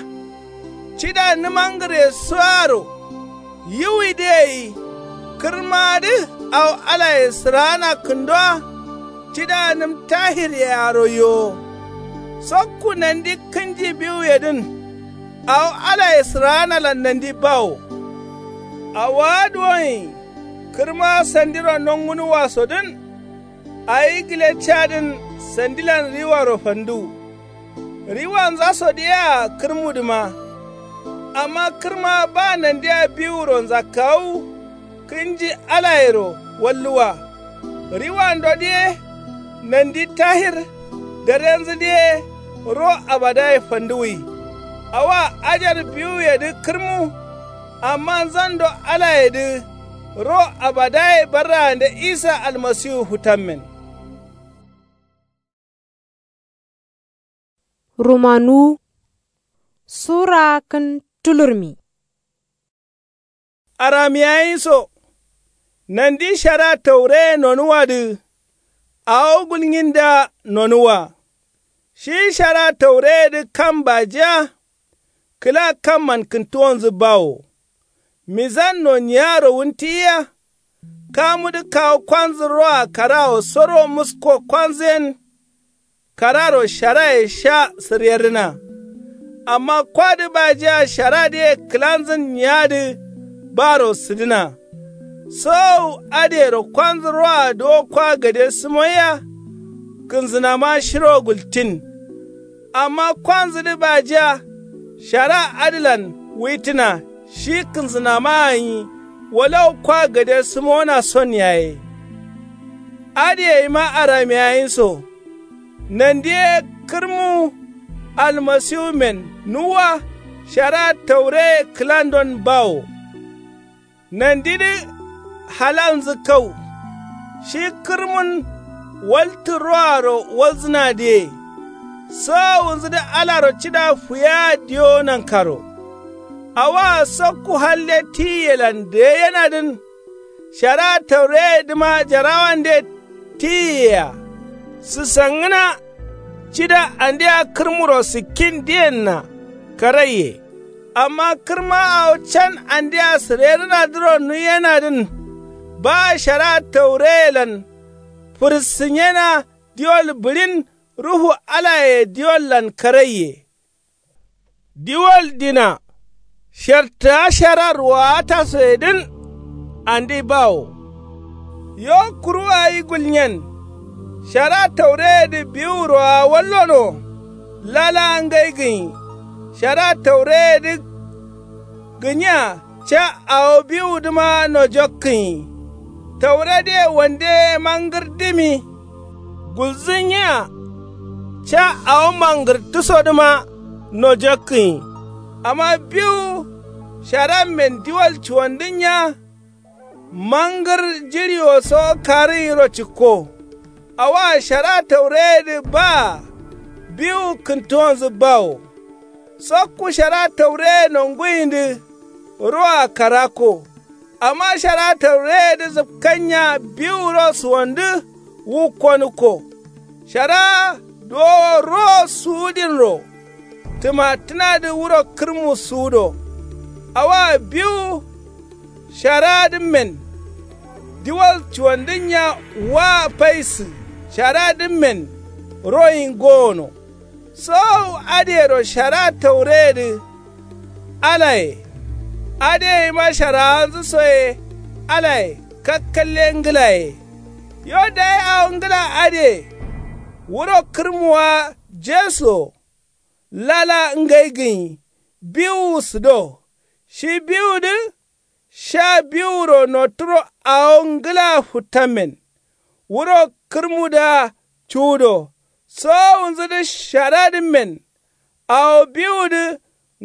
Cida nǝmangǝre suwaro yiwwidǝ yeyi. Kǝrmadǝ awo alaye sǝraana kǝndowa. Cida nǝm tahiryearo yowo. Sokku nandi kǝnji biwuyedǝn awo alaye sǝraanalan nandi bawo. Awowa duwonyi Kǝrma sandiro nongunuwasodǝn. Awi gǝle cadǝn sandilan riwaro fanduwu. Riwanzaso diyea kǝrmudǝma. Amma kǝrma ba nandiya biwuro nzakkawu. Kǝnji alayero walluwa. Riwando diye nandi tahir. Darenzu diye ro abadaye fanduwi. Awa ajar biwuyedǝ kǝrmu. Amma nzando alayedǝ ro abadaye barraande isa almasiwu futammen. Rumanu sura kǝn tulurmi. Aramiyayinso nandi shara taureye nonuwadǝ. Awo gulnyinda nonuwa shi shara taureyedǝ kam bajiya. Kǝla kamman kǝntuwonzǝ bawo. Mizanno niyaro wuntiyiya. Kamudǝ kawu kwanzǝ roa karawo soro musko kwanzǝ yen. Kararo sharaye sha sǝryerrǝna. Amma kwadǝ bajiya sharadǝye kǝlanzǝn niyadǝ. Baro sǝdǝna. Sowowu adǝyero kwanzǝ roa duwo kwa gade sǝmoiya. Kǝnzǝnama shiro gultin. Amma kwanzǝdǝ bajiya shara adǝlan wuitǝna. Shi kǝnzǝnama gǝnyi walau kwa gade sǝmona son yaye. Adǝ yeyima aramiyayinso. Nandi ye kǝrmu almasiwumen nuwwa. Shara taureye kǝlandon bawo. Nandidǝ halanzǝ kau. Shi kǝrmun waltǝ roaro walzǝnadǝye. Sowowunzǝdǝ alaro cida fuya diyo nankaro. Awoa sokku halde tiyiyelan deyenadǝn. Shara taureyedǝma jarawande tiyiyeya. Sǝsangǝna cida andea kǝrmuro sǝkkindǝyenna. Karaiye. Amma kǝrma awo can andea sǝrerǝnadǝro nuyenadǝn. Ba shara taureyelan fǝrsǝnyena. Diwol bǝɍin ruhu alaye diwollan karaiye. Diwol dina shartǝa sharar waatasoyedǝn. Andi bawo. Yo kuru awi gulnyen. Shara taureyedǝ biwuroa wallono. Lala ngai gǝnyi. Shara taureyedǝ gǝnyiya. Ca awo biwudǝma nojokkǝnyi. Tauredǝye wande mangǝrdǝmi. Gulzǝnyiya. Ca awo mangǝrtǝsodǝma nojokkǝnyi. Amma biwu sharammen diwol cuwandǝnya. Mangǝr jiɍiwoso karǝnyiro cikko. Awoa shara taureyedǝ baa. Biwu kǝntuwonzǝ bawo. Sokku shara taureye nonguyindǝ. Roa karakko. Amma shara taureyedǝ zǝpkannya biwuro suwandǝ. Wukkonǝkko. Shara duwowo ro suwudinro. Tǝmattǝnadǝ wuro kǝrmu suwudo. Awoa biwu sharadǝmmen. Diwol cuwandǝnnya wa faisǝ sharadǝmmen. Royin gowono. Sowowu adǝyero shara taureyedǝ. Alaye. Adǝ yeyima sharawanzǝ soye. Alaye kakkalle ngǝlaye. Yo dayi awo ngǝla adǝye. Wuro kǝrmuwa jesuwo. Lala ngai gǝnyi. Biwuwu sǝdo. Shi biwudǝ. Sha biwuro noturo awo ngǝla futtammen. Wuro kǝrmudǝa cuwudo. Sowowunzudǝ sharadǝmmen. Awo biwudǝ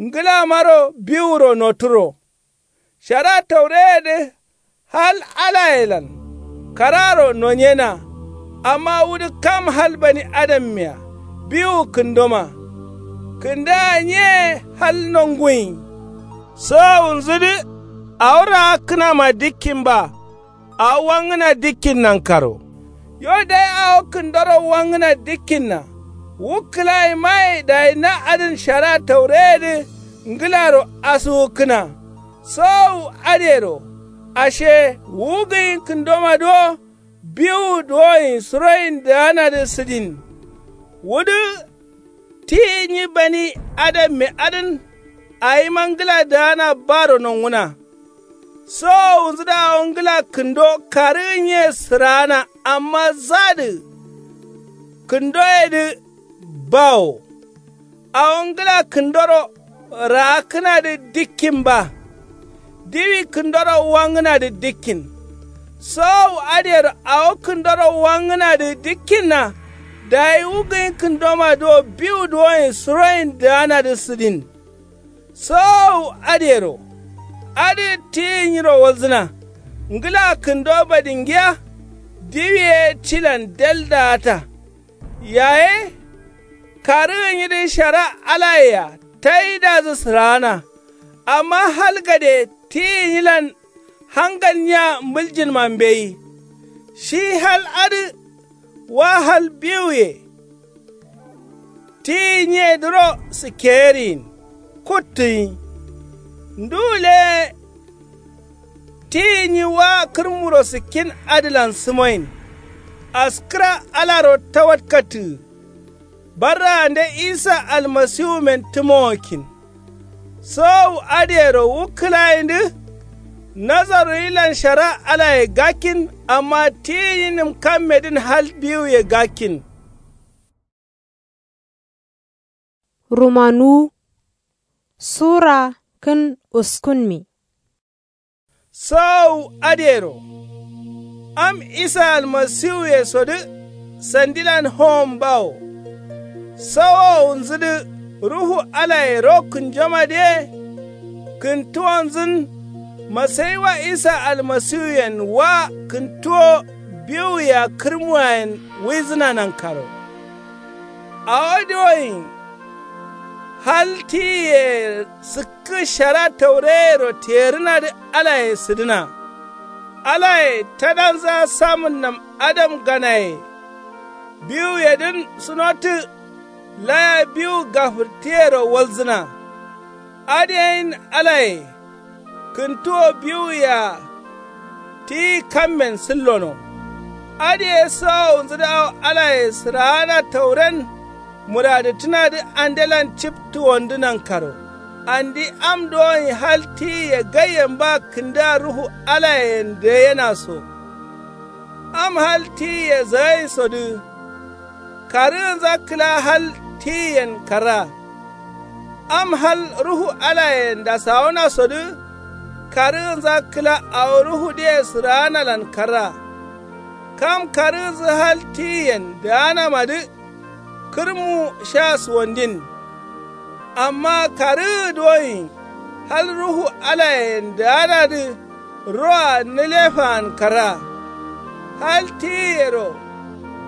ngǝlamaro biwuro noturo. Shara taureyedǝ hal alayelan. Kararo nonyena. Amma wudǝ kam hal bani adammiya. Biwu kǝndoma. Kǝndaa nye hal nonguyin. Sowowunzudǝ awo raakkǝnama dikkin ba. Awo wangǝna dikkin nankaro. Yo dayi awo kǝndoro wangǝna dikkinna. Wu kǝlayimaye dayi na adǝn shara taureyedǝ ngǝlaro asuwukkǝna. Sowowu adǝyero ashe wu gǝnyi kǝndomadǝ wo. Biwu duwoyin suroyin daanadǝ sǝdin. Wudǝ ti nyi bani adamme adǝn. Awima ngǝla daana baro nonguna. Sowowunzǝdǝ awo ngla kǝndo karǝgǝnye sǝraana amma zadǝ kǝndoyedǝ bawo. Awo ngla kǝndoro raakkǝnadǝ dikkin ba. Diwi kǝndoro wangǝnadǝ dikkin. Sowowu adǝyero awo kǝndoro wangǝnadǝ dikkinna. Dayi wu gǝnyi kǝndomadǝ wo biwu duwoyen suroyen daanadǝ sǝdin. Sowowu adǝyero adǝ tiyi nyiro walzǝna. Ngla kǝndo badingiya. Diwi ye tilan del daata. Yaye karǝgǝ nyidǝ shara alayea taidazǝ sǝraana. Amma hal gade tiyi nyilan hangal nya mǝljinma mbeyi. Shi hal adǝ wa hal biwuye. Tiyi nyiyedǝro sikkeyeriyin kuttǝnyi. Nduwu leye tiyi nyi wa kǝrmuro sikkin adǝlan sǝmoyin. Askǝra alaro tawatkattǝgǝ. Barraande isa almasiwumen tǝmowokkin. Sowowu adǝyero wu kǝlayindǝ. Nazaruyilan shara alaye gakkin. Amma tiyi nyi nǝmkammedǝn hal biwuye gakkin. Rumanuwu sura kǝn uskunmi. Sowowu adǝyero am isa almasiwuyesodǝ sandilan howon bawo. Sowowunzudǝ ruhu alaye ro kǝnjomadǝye. Kǝntuwonzun masayiwa isa almasiwuyen wa kǝntuwo biwuyea kǝrmuwayen wuizǝna nankaro. Awo diwoyin hal tiyiye sǝkkǝ shara taureyero terǝnadǝ alaye sǝdǝna. Alaye tadanza samǝnnam adam ganaye. Biwuyedǝn sǝnotǝ laya biwu gafǝrtǝyero walzǝna. Adǝ yeyin alaye kǝntuwo biwuyea tiyi kammen sǝllono. Adǝ ye sowowunzudǝ awo alaye sǝraana tauren. Muradǝttǝnadǝ andelan ciptuwondǝ nankaro. Andi am duwonyi hal tiyiye gaiyen ba kǝndǝa ruhu alayen dǝgǝyena so. Am hal tiyiye zǝgainsodǝ karǝgǝnza kǝla hal tiyiyen karra. Am hal ruhu alayen dasawonasodǝ karǝgǝnza kǝla awo ruhudǝye sǝraanalan karra. Kam karǝgǝnzǝ hal tiyiyen dǝganamadǝ kǝrmu sha suwandin. Amma karǝgǝ duwonyi hal ruhu alayen dǝganadǝ roa nǝlefaan karra. Hal tiyiyero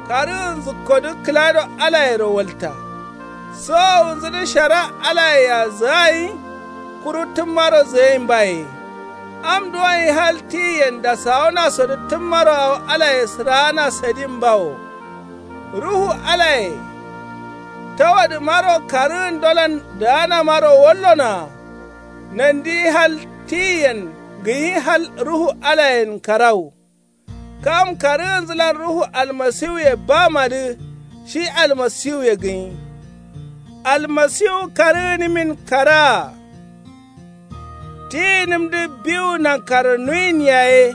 karǝgǝnzǝkkodǝ kǝlado alayero walta. Sowowunzudǝ shara alayea zǝgayin kuru tǝmmaro zǝgayin baye. Am duwonyi hal tiyiyen dasawonasodǝ tǝmmaro awo alaye sǝraana sadin bawo. Ruhu alaye tawadǝmaro karǝgǝndolan dǝganamaro wallonoa. Nandi hal tiyiyen gǝnyi hal ruhu alayen karawu. Kam karǝgǝnzǝlan ruhu almasiwuye bamadǝ shi almasiwuye gǝnyi. Almasiwu karǝgǝnǝmin karaa. Tiyinǝmdǝ biwu nankaro nuyin yaye.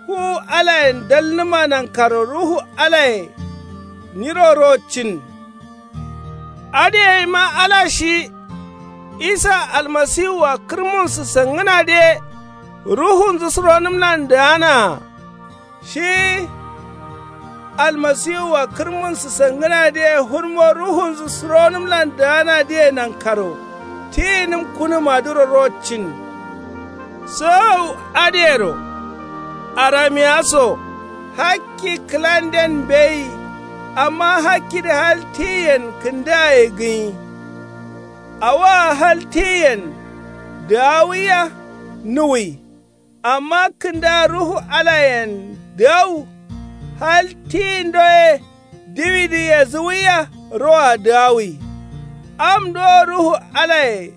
Fuwu alayen dalnǝma nankaro ruhu alaye nyiro rocin. Adǝ yeima ala shi isa almasiwua kǝrmunsǝ sangǝnadǝye. Ruhunzǝ suronǝmlan dǝganaa shi almasiwua kǝrmunsǝ sangǝnadǝye hurmo ruhunzǝ suronǝmlan dǝganadǝye nankaro tiyinǝm kunǝmadǝro rocin. Sowowu adǝyero aramiya so hakki kǝlanden mbeyi. Amma hakkidǝ hal tiyiyen kǝndǝaye gǝnyi. Awoa hal tiyiyen dǝgawuiya nuwui. Amma kǝnda ruhu alayen dǝgawu. Hal tiyindo ye diwidǝ yezǝwuiya roa dǝgawui. Am duwo ruhu alaye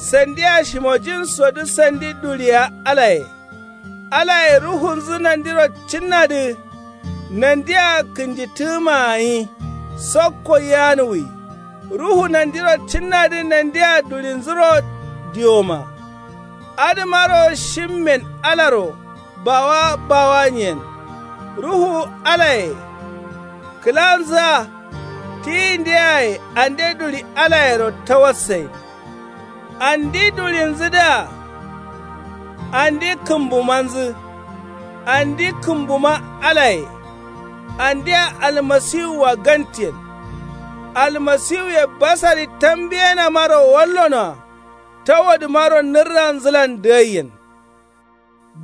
sandia shimojinsodǝ sandi duɍiya alaye. Alaye ruhunzǝ nandiro cinnadǝ nandia kǝnjitǝgǝmaa gǝnyi sokko yanuwui. Ruhu nandiro cinnadǝ nandia duɍinzuro diwoma. Adǝmaro shimmen alaro bawa bawanyen. Ruhu alaye kǝlanzǝa tiyindeyaye ande duli alayero tawassain. Andi dulinzǝdǝa andi kǝmbumanzǝ. Andi kǝmbuma alaye. Andia almasiwua gantiyen. Almasiwuye basari tambiyenamaro wallonoa. Tawodǝmaro nǝrranzǝlan dǝgaiyen.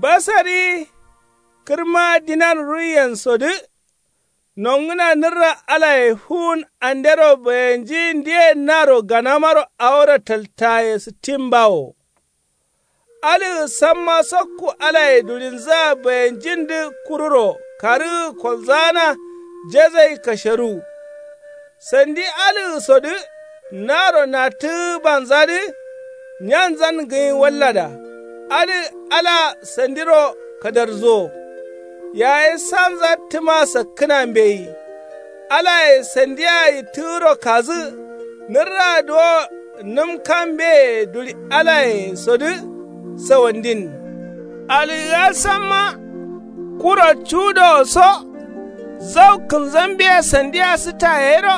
Basari kǝrma dinan ruiyensodǝ. Nongǝna nǝrra alaye fuwun andero bayanjiyindiye naro ganamaro awo rataltaye sǝttin bawo. Aləgə samma sokku alaye dulinzəa bayenjindəkururo karəgə kolzəana jezai kasheruwu. Sandi aləgəsodə naro nattəgə banzadə nyanzan gənyi wallada. Adə ala sandiro kadarzuwo. Yaye sanza təma sakkəna mbeyi. Alaye sandiya yittəgəro kazə nərra duwo. Nəm kambeye duli alayesodə sawandin. Algəa samma kuro cudowo so zau kənzambeya sandiya sətayero.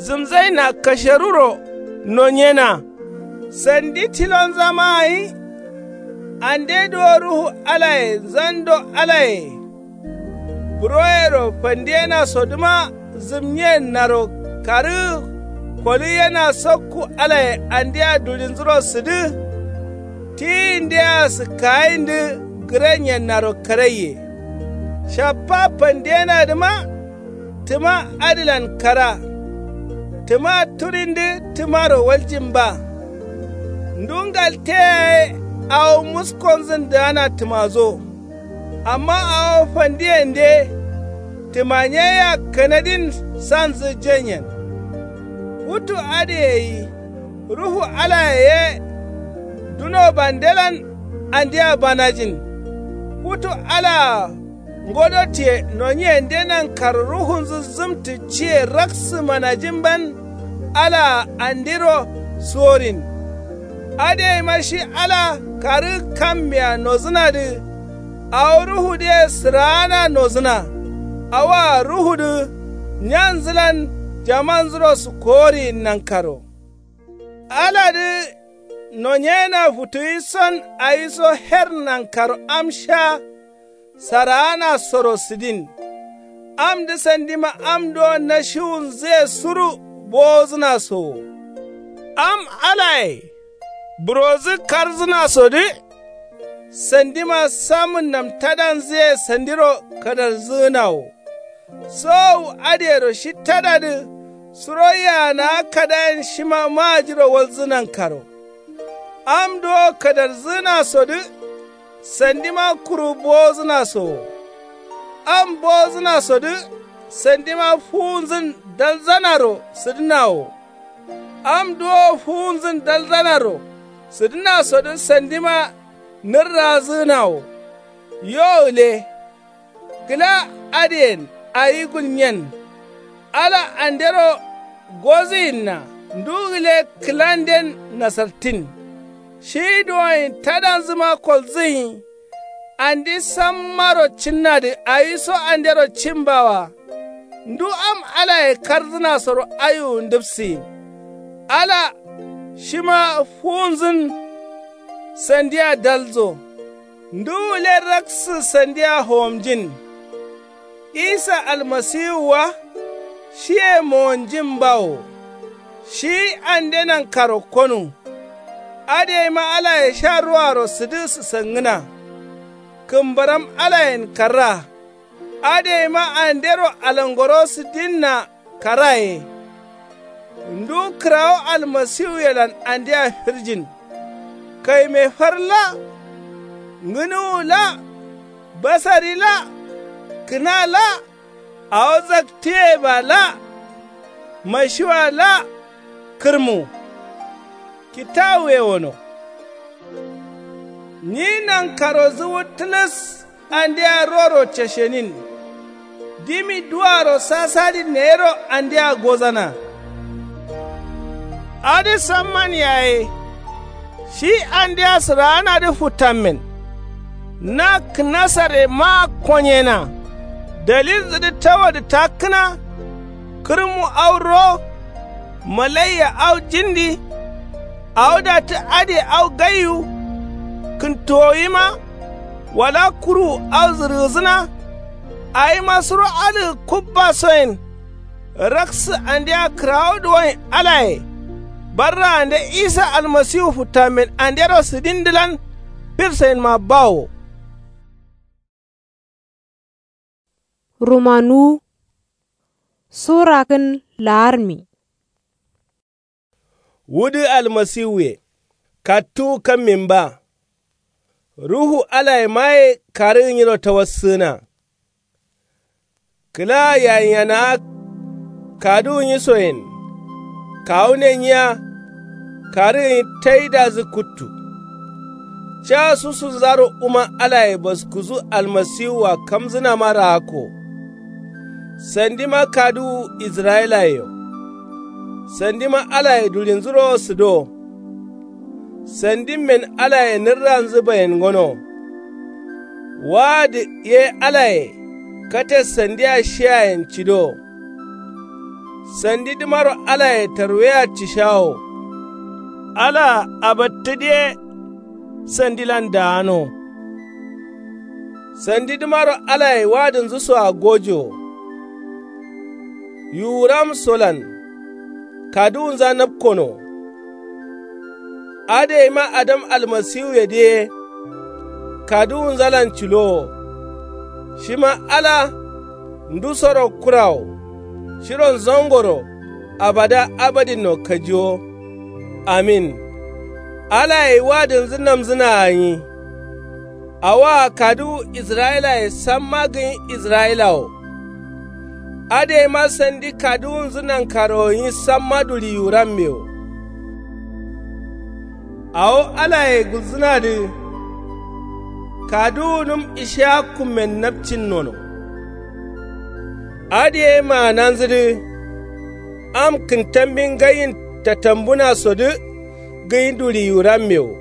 Zəmzaina kasheruro nonyena. Sandi tilonzama gənyi. Ande duwo ruhu alaye zando alaye. Buroyero fandiyenasodəma zəmnyiyennaro karəgə koliyena sokku alaye andeya dulinzuro sədə. Tiyindeyea səkkayində gəranyennaro karaiye. Shaffa fandiyenadəma təma adəlan kara. Təma turində təmaro waljin ba. Ndu ngalteya ye awo muskonzən dəana təmazo. Amma awo fandiyende təmanyeyea kanadin sanzə jenyen. Futu adəye gənyi ruhu alaye ye. Duno bandelan andea banajin. Futu alaa ngodotiye nonyiyende nankaro ruhunzə zəmtə ciye raksəmanajimban. Alaa andiro suworin. Adəyeima shi ala karə kammea nozənadə. Awo ruhudəye səra'ana nozəna. Awoa ruhudə nyanzəlan jamanzəro sukkoworin nankaro. Aladə nonyena futuwi son awiso her nankaro am sha. Saraanasoro sədin. Amdə sandima am duwo nashiwunzəye suru bowozənaso wo. Am alaye burozə karzənasodə. Sandima samən namtadanzəye sandiro kadarzəgəna wo. Sowowu adəyero shi tadadə suro yana'a kadayen shima ma'ajiro walzə nankaro. Am duwo kadarzəgənasodə sandima kuru bowozənaso wo. Am bowozənasodə sandima fuwunzən dalzanaro sədəna wo. Am duwo fuwunzən dalzanaro sədənasodə sandima nərrazəgəna wo. Yo gəle. Kəla adəyen awi gulnyen. Ala andero gozəyinna ndu gəle kəlanden nasartən. Shi duwoyin tadanzəma kolzəyi. Andi sammaro cənnadə awiso andero cəmbawa. Ndu am alaye karzənasoro aiwu ndəbsəyin. Ala shima fuwunzən sandiya dalzo. Ndu gəle raksədə sandiya howomjin. Isa almasiwu wa shiye mowonjin bawo. Shi ande nankaro konu. Adəyima alaye sha ruwaro sədə səsangəna. Kəmbaram alayen karra. Adəyima andero alangoro sədinna karaye. Ndu kərawo almasiwuyelan andea firjin. Kaime far la. Ngənuwu la. Basari la. Kəna la. Awo zaktəye ba la. Mashiwa la. Kərmu. Kitawuye wono. Nyi nankarozə wu tələs. Andea roro ceshenin. Dimi duwaro sasadin neyero andea gozana. Adə samman yaye. Shi andea sǝraanadǝ futtamen. Na kǝnasare maa konyena. Dalilnzǝdǝ tawadǝ takkǝna. Kǝrmu au ro. Malaiya au jindi. Awo dattǝ adǝye au gaiwu. Kǝntuwowima. Wala kurwu au zǝrgǝsǝna. Awima suro adǝgǝ kubbasoyen. Raksǝ andea kǝrawodǝ woin alaye. Barraande isa almasiwu futtamen andero sǝdindǝlan. Firsayenma bawo. Rumanuwu. Sura kǝn laarmi. Wudǝ almasiwuye. Kattuwu kammin ba. Ruhu alayemaye karǝgǝ nyiro tawassǝgǝna. Kǝla yayinyanawa kaduwu nyisoyen. Kawune nyiya. Karǝgǝ nyi taidazǝ kuttu. Ca susunzaro wuma alaye baskusu almasiwua kamzǝnama raakko. Sandima kaduwu israyilayeyo. Sandima alaye dulinzuro sǝdo. Sandimmen alaye nǝrranzǝ bayen ngono. Waadǝ ye alaye kate sandia shiyayen cido. Sandidǝmaro alaye tarweya cishawo. Alaa abattǝdiye. Sandilan daano. Sandidǝmaro alaye waadǝnzǝsoa gojowo. Yuwuramsolan kaduwunza napkono. Adǝgeyima adam almasiwuyedǝ ye. Kaduwunzalan cilowo. Shima ala ndusoro kurawo. Shiro zangoro abada abadinno kajiwo. Amin. Alaye wadǝnzǝ namzǝnaa nyi. Awoa kaduwu israyilaye samma gǝnyi israyilawo. Adǝgeyima sandi kaduwunzǝ nankarowo nyi samma duli yuwuramme wo. Awo alaye gulzǝnadǝ. Kaduwunǝm ishiyakkummen napcin nono. Adǝ ye maananzǝdǝ. Am kǝntambi ngaiyin tatambunasodǝ gǝnyi duli yuwuramme wo.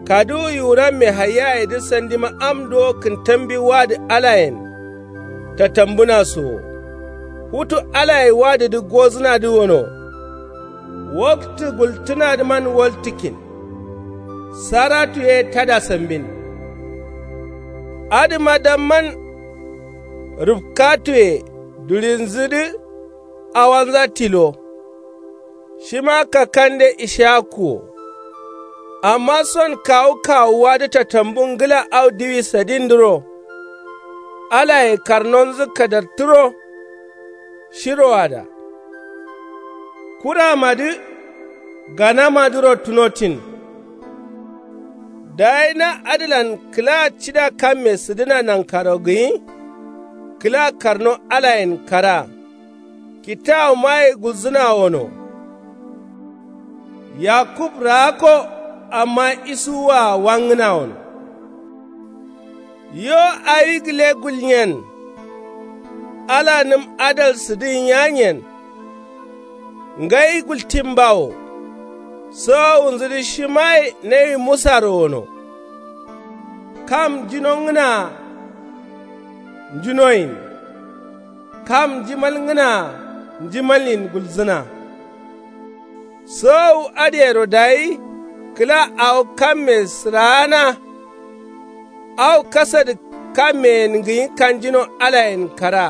Kaduwu yuwuramme haiyayedǝ sandima am duwo kǝntambi wadǝ alayen. Tatambunaso wo. Futu alaye wadǝdǝ gozǝnadǝ wono. Waktǝ gultǝnadǝman waltǝkkin. Saratu ye tada sambin. Adǝma damman. Rǝfkatuye dulinzǝdǝ. Awanza tilo. Shima kakande ishiyakku wo. Amma son kawu kawuwadǝ tatambu ngǝla au diwi sadindǝro. Alaye karnonzǝ kadartǝro. Shiroada. Kuramadǝ ganamadǝro tunotin. Dayi na adǝlan kǝla cida kamme sǝdǝna nankaro gǝnyi. Kǝla karno alayen kara. Kitawumaye gulzǝna wono. Yakub raakko. Amma isuwua wangǝna wono. Yo awi gǝle gulnyen. Alanǝm adal sǝdǝgǝnyanyen. Ngai gultin bawo. Sowowunzǝdǝ shimaye nawi musaro wono. Kam njinongǝnaa. Njinoyin. Kam njimalngǝnaa njimalin gulzǝna. Sowowu adǝyero dayi kǝla awo kamme sǝraana. Awo kasadǝ kammeyen gǝnyi kanjino alayen kara.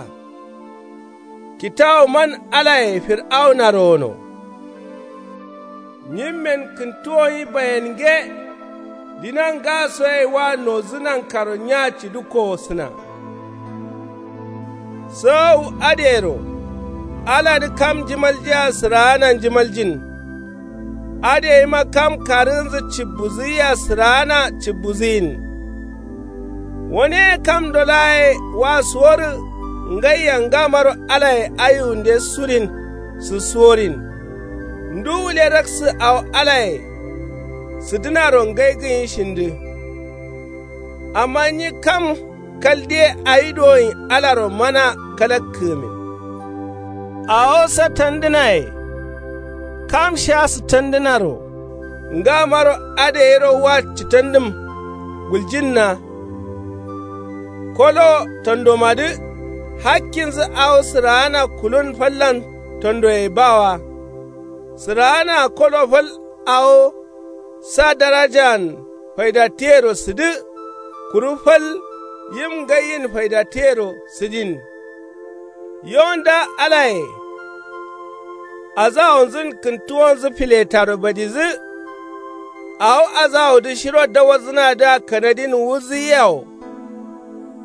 Kitawuman alaye fir'aunaro wono. Nyimmen kǝntuwonyi bayenge. Dina ngasoye wa nodǝ nankaro nya cidǝ kowosǝna. Sowowu adǝyero aladǝ kam njimaljea sǝraana njimaljin. Adǝ yeima kam karǝgǝnzǝ cibbuzǝyia sǝraana cibbuzǝyin. Waneye kamdo laa ye wa suworǝ. Ngaiya ngamaro alaye ayiwunde surin sǝsuworin. Ndu wule raksǝ awo alaye sǝdǝnaro ngai gǝnyi shindǝ. Amma nyi kam kaldiye awi dowoyin alaro mana kalakkǝgǝmin. Awo satandǝnaye kam sha sǝtandǝnaro. Ngamaro adǝ gairo wa cǝtandǝm guljǝnna. Kolo tandomadǝ hakkinzǝ awo sǝraana kulun fallan tandoye bawa. Sǝraanaa kolo fal awo sa darajan faidattǝyero sǝdǝ. Kuru fal yim ngaiyin faidattǝyero sǝdin. Yo nda alaye azawonzǝn kǝntuwonzǝ filetaro badizǝ. Awo azawodǝ shiro dawarzǝnadǝa kanadin wuzǝyiyawo.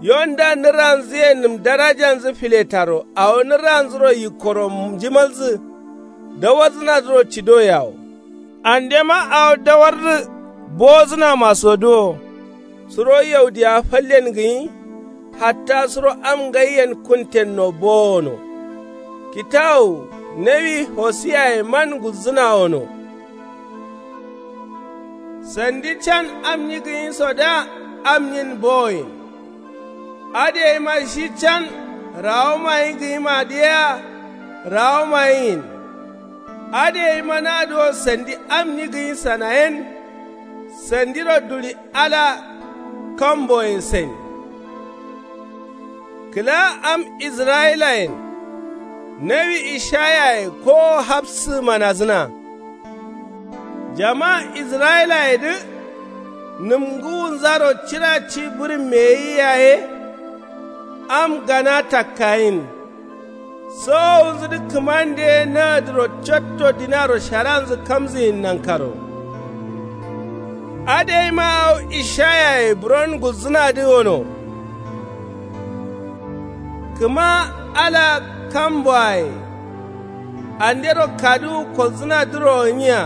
Yo nda nǝranzǝye nǝm darajanzǝ filetaro awo nǝranzuro yikkoro njimalzǝ. Dawarzǝnadǝro cidoyeawo. Andema awo dawarrǝ bowozǝnamasodǝ wo. Suro yaudiya fallen gǝnyi. Hatta suro am ngaiyen kuntenno bowono. Kitawu nawi hosiyaye man gulzǝnawono. Sandi can am nyi gǝnyisodǝa am nyin bowoyin. Adǝ gaima shi can rawomayi gǝnyimadǝ yea rawomayiyin. Adǝ gaima nadǝ wo sandi am nyi gǝnyisana yen. Sandiro duli ala kamboye sen. Kǝla am israyilayen nawi ishayaye kowo hafsǝ manazǝna. Jama israyilayedǝ nǝm ngǝwunzaro cira ci bǝrǝmmeyi yaye. Am gana takkayin. Sowowunzǝdǝ kǝmande ye nagǝdǝro cotto dinaro sharanzǝ kamzǝyin nankaro. Adǝ gaima awo ishayaye buron gulzǝnadǝ wono. Kǝma ala kamboaye andero kaduwu kolzǝnadǝro gǝnyiya.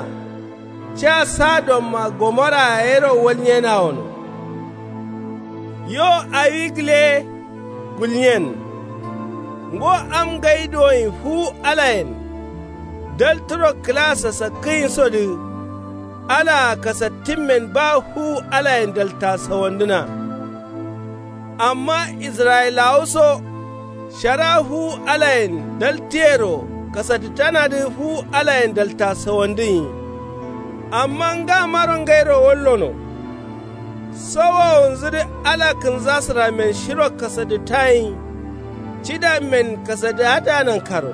Ca sadomma gomorraa yero walnyena wono. Yo awi gǝle gulnyen. Ngo am ngai doyin fuwu alayen daltǝro kǝla sasakkǝyinsodǝ. Alaa kasattǝmmen ba fuwu alayen dalta sawandǝna. Amma israyilawuso shara fuwu alayen daltǝyero kasattǝtanadǝ fuwu alayen dalta sawandǝnyi. Amma ngamaro ngairo wallono. Sowowunzǝdǝ ala kǝnzasǝrammen shiro kasattǝtayin. Cidammen kasattǝ adǝa nankaro.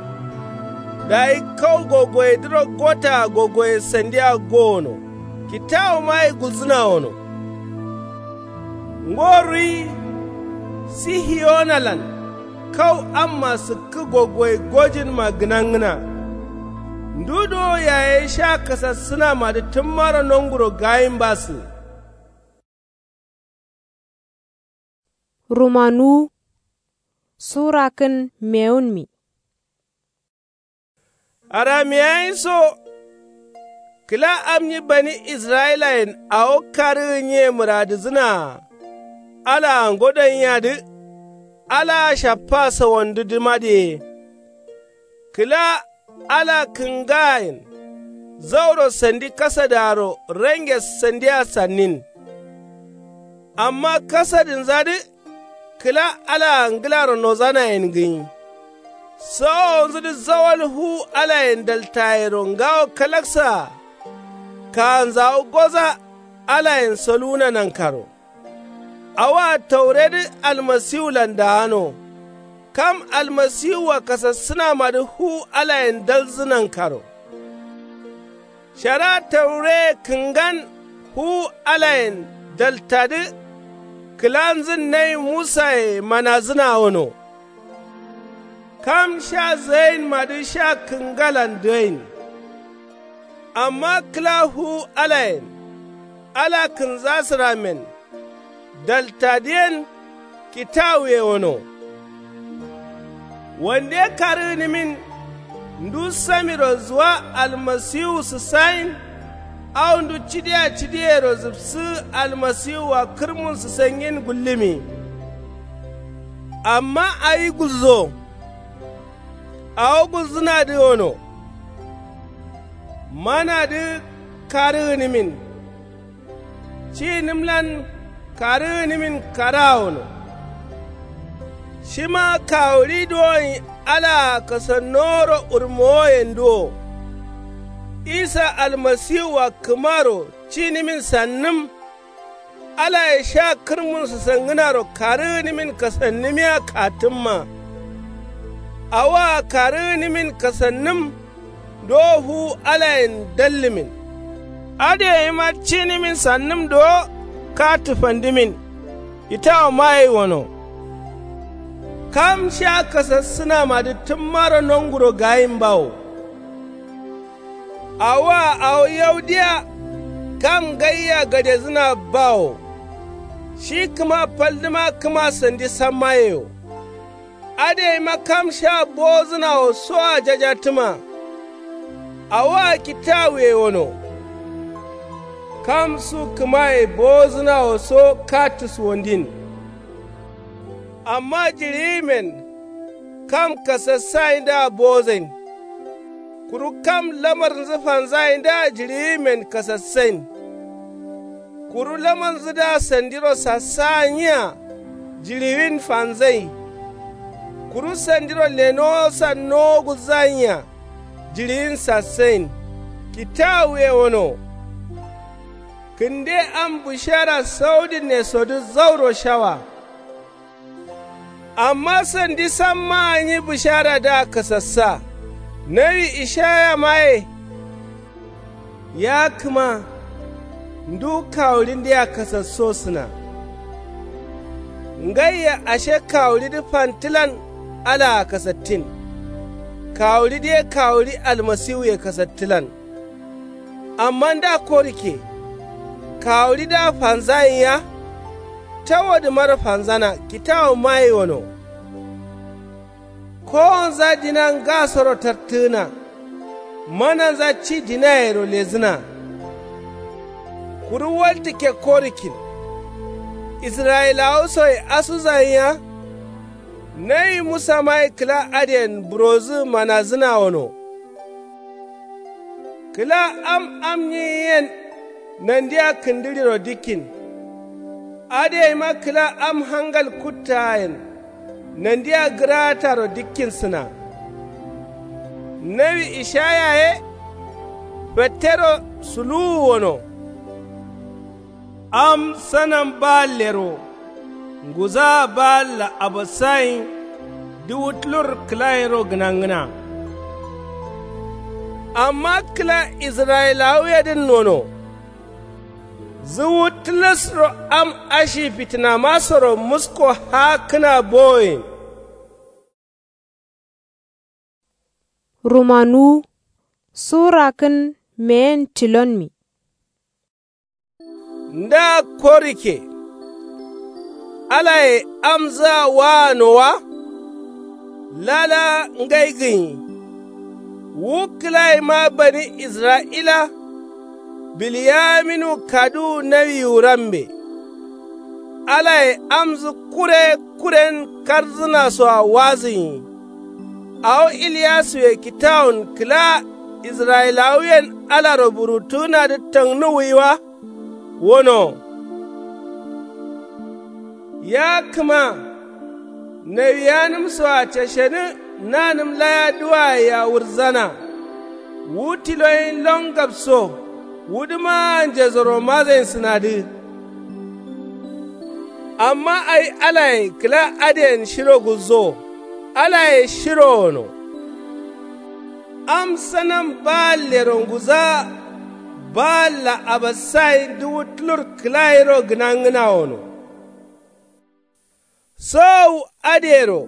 Dayi kau gogoyedǝro gotaa gogoye sandia gowono. Kitawumaye gulzǝna wono. Ngo ruyi sihiyonalan kau amma sǝkkǝ gogoye gojǝnma gǝnangǝna. Ndu dowo yaye sha kasassǝnamadǝ tǝmmaro nonguro gayinbasǝ. Rumanuwu sura kǝn mewunmi. Aramiyayinso kǝla am nyi bani israyilayen awo karǝgǝ nyiye mǝradǝzǝnaa. Alaa ngodanyiyadǝ alaa shaffa sawandǝdǝma diye. Kǝla ala kǝngayen zauro sandi kasadǝaro range sandia sannin. Amma kasadǝnzadǝ kǝla alaa ngǝlaro nozanayen gǝnyi. Sowowonzudǝ zawal fuwu alayen daltayero ngawo kalaksaa. Kaanzawu goza alayen soluwuna nankaro. Awoa tauredǝ almasiwulan daano. Kam almasiwua kasassǝnamadǝ fuwu alayen dalzǝ nankaro. Shara taureye kǝngan fuwu alayen daltadǝ. Kǝlanzǝn nawi musaye manazǝna wono. Kam sha zǝgainmadǝ sha kǝngalan dǝgain. Amma kǝla fuwu alayen ala kǝnzasǝrammen daltadǝyen kitawuye wono. Wande karǝgǝnǝmin ndu samiro zuwa almasiwu sǝsayin. Au ndu cidiya cidiyero zǝfsǝgǝ almasiwua kǝrmun sǝsangin gullǝmi. Amma awi gulzo. Awo gulzǝnadǝ wono. Manadǝ karǝgǝnǝmin. Ci nǝmlan karǝgǝnǝmin karaa wono. Shima kawuɍi dowoyin alaa kasannoworo urmowoyenduwo. Isa almasiwua kǝmaro cinimin sannǝm. Alaye sha kǝrmun sǝsangǝnaro karǝgǝnimin kasannǝmiya kattǝmma. Awoa karǝgǝnimin kasannǝm. Dowo fuwu alayen dallǝmin. Adǝ gaima cinimin sannǝm dowo kattǝ fandǝmin. Kitawu magai gono. Kam sha kasassǝnamadǝ tǝmmaro nonguro gagin bawo. Awoa awo yau diya. Kam ngaia gadezǝna bawo. Shi kǝma faldǝma kǝma sandi samma yeyo. Adǝ gaima kam sha bowozǝnawo soa jajattǝma. Awoa kitawuye gono. Kam su kǝmaye bowozǝnawo so kattǝ suwandin. Amma jiɍiyimen kam kasassayindǝa bowozain. Kuru kam lamarnzǝ fanzayindǝa jiɍiyimen kasassain. Kuru lamarnzǝdǝa sandiro sassaanyiya jiɍiwin fanzai. Kuru sandiro lenowosa nowo gulzanyiya jiɍiwin sassain. Kitawuye gono. Kǝnde am bǝshara saudǝnesodǝ zauro shawa. Amma sandi sammaa nyi bǝsharadǝa kasassa. Nawi ishayamaye. Ya kǝma ndu kawuɍindǝa kasassosǝna. Ngaiya ashe kawuɍidǝ fantǝlan alaa kasattin. Kawuɍidǝ ye kawuɍi almasiwuye kasattǝlan. Amma nda korikke. Kawuɍidǝa fanzayin ya. Tawodǝmaro fanzana kitawu magai gono. Kowonza dina ngasoro tartǝgǝna. Mananza ci dinayero lezǝna. Kuru waltǝkke korikkin. Israyilawu soye asuzayin ya. Nawi musamaye kǝla adǝyen burozǝ manazǝna gono. Kǝla am am nyiyen nandia kǝndǝɍiro dikkin. Adǝ gaima kǝla am hangal kuttaayen nandia gǝraataro dikkinsǝna. Nawi ishaya ye fettero suluwu gono. Am sanam baallero nguzaa baalla abassayin dǝwu tǝlur kǝlayinro gǝnangǝna. Amma kǝla israyilawuyedǝn nono. Zuwu tǝlǝsro am ashi fitǝnamasoro musko haakkǝna bowoyen. Rumanuwu surakǝn meyen tilonmi. Nda korikke. Alaye amzǝa waano wa. Lala ngai gǝnyi. Wu kǝlayima bani israyila. Bilyaminu kaduwu nawiwu rambe. Alaye amzǝ kure kuren kardzǝnasoa wazǝnyi. Awo iliyasuye kitawun kǝla israyilawuyen alaro buruttugǝnadǝ tangnuwwi wa. Wono. Ya kǝma nawiyanǝmsoa cashenǝ nanǝm laya duwaye yawurzana. Wu tiloyin longabso wudǝmaa njesoro mazainsǝnadǝ. Amma awi alaye kǝla adǝyen shiro gulzowo. Alaye shiro gono. Am sanam baallero nguzaa. Baalla abassayin duwu tǝlur kǝlayiro gǝnangǝna gono. Sowowu adǝyero.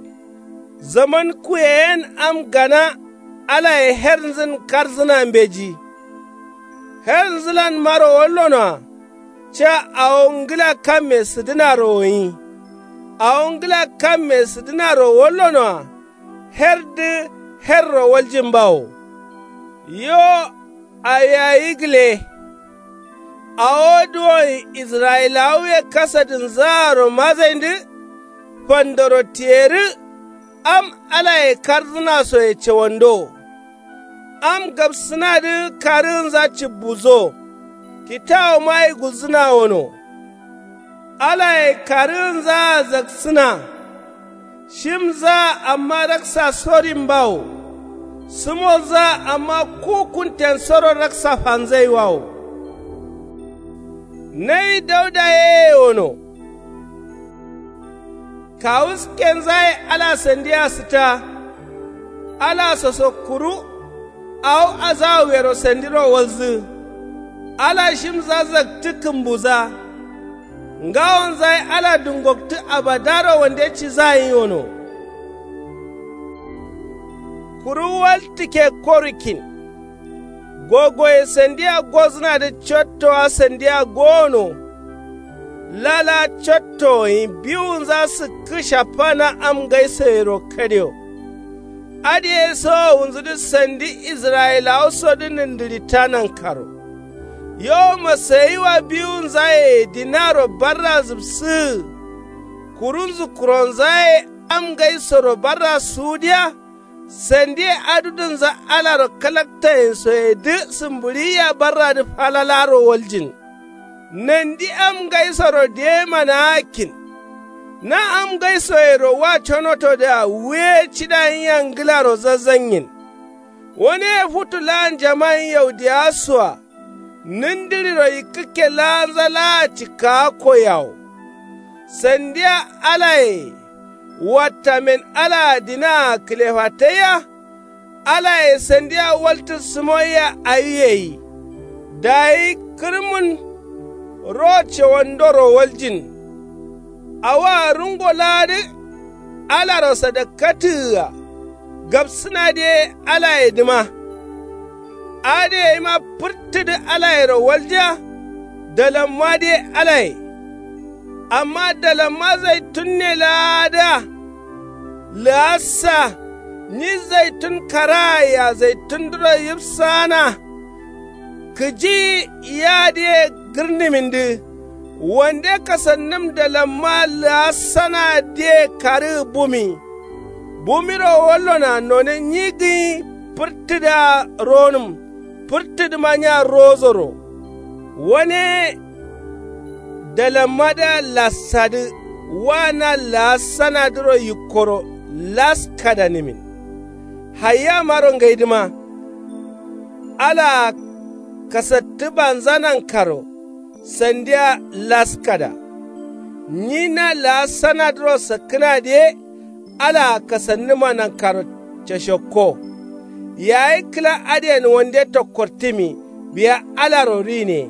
Zaman kuyeyen am gana alaye hernzǝn kardzǝna mbeji. Hernzǝlanmaro wallonoa. Ca awo ngǝla kamme sǝdǝnaro gǝnyi. Awo ngǝla kamme sǝdǝnaro wallonoa. Herdǝ herro waljin bawo. Yo. Awi awi gǝle. Awo duwon israyilawuye kasadǝnzaaro mazaindǝ. Fandoro tiyerǝ. Am alaye kardzǝnasoye cawando. Am gabsǝnadǝ karǝgǝnza cǝbbuzo. Kitawumagai gulzǝna wono. Alaye karǝgǝnzaa zaksǝna. Shimzaa amma raksa sorin bawo. Sǝmonza amma ku kuntensoro raksa fanzaiwawo. Nawi dauda yeye wono. Kawuskenzaye ala sandiya sǝta. Ala soso kuru awo azawuyero sandiro walzǝ. Ala shimza zaktǝ kǝmbuza. Ngawonza ye ala dungoktǝ abadaro wande cizayin wono. Kuru waltǝke korukkin. Gogoye sandiya gozǝnadǝ cottowa sandiya gowono. Lala cottowoyin biwunza sǝkkǝ shafana am ngaisoyero kadewo. Adǝye sowowunzudǝ sandi israyilawo sodǝ nǝndǝrita nankaro. Yo masayiwa biwunzaye dinaro barra zǝbsǝgǝ. Kurunzǝ kuronzaye am ngaisoro barra suwudiya. Sandiye adudǝnza alaro kalaktayensoyedǝ sǝmbǝɍiya barradǝ falalaro waljin. Nandi am ngaisoro diyemanagakkin. Na am ngaisoyero wa conotodǝa wuye cidayinyan ngǝlaro zazzanyin. Waneye futu laa njaman yaudiyawa soa. Nǝndǝɍiro yikkǝkke laanza laa cikkaakko yawo. Sandiya alaye wattamen alaa dinaa kǝlefataiya. Alaye sandiya waltǝ sǝmoiya awi gai. Dayi kǝrmun ro cewandoro waljin. Awoa rungo laadǝ alaro sadakkatǝgǝa. Gabsǝnadǝ ye alayedǝma. Adǝ yeima fǝrtǝdǝ alayero walja. Dalammadǝ ye alaye. Amma dalamma zaitunne laadǝa. Lǝassa nyi zaitun karaayea zaitundǝro yibsaana. Kǝji yadǝ ye gǝrnǝmindǝ. Wande kasannǝm dalamma lǝassana diye karǝgǝ bumi. Bumiro wallona none nyi gǝnyi fǝrtǝdǝa ronǝm. Fǝrtǝdǝma nya rozoro. Wane dalammadǝa lassadǝ wa na lǝassanadǝro yikkoro laskadanǝmin. Hayyamaro ngaidǝma. Alaa kasattǝbanza nankaro. Sandiya laskada. Nyi na la'assanadǝro sakkǝnadǝ ye. Alaa kasannǝma nankaro cashokko. Yayi kǝla adǝyen wande tokkortǝmi biya alaro rine.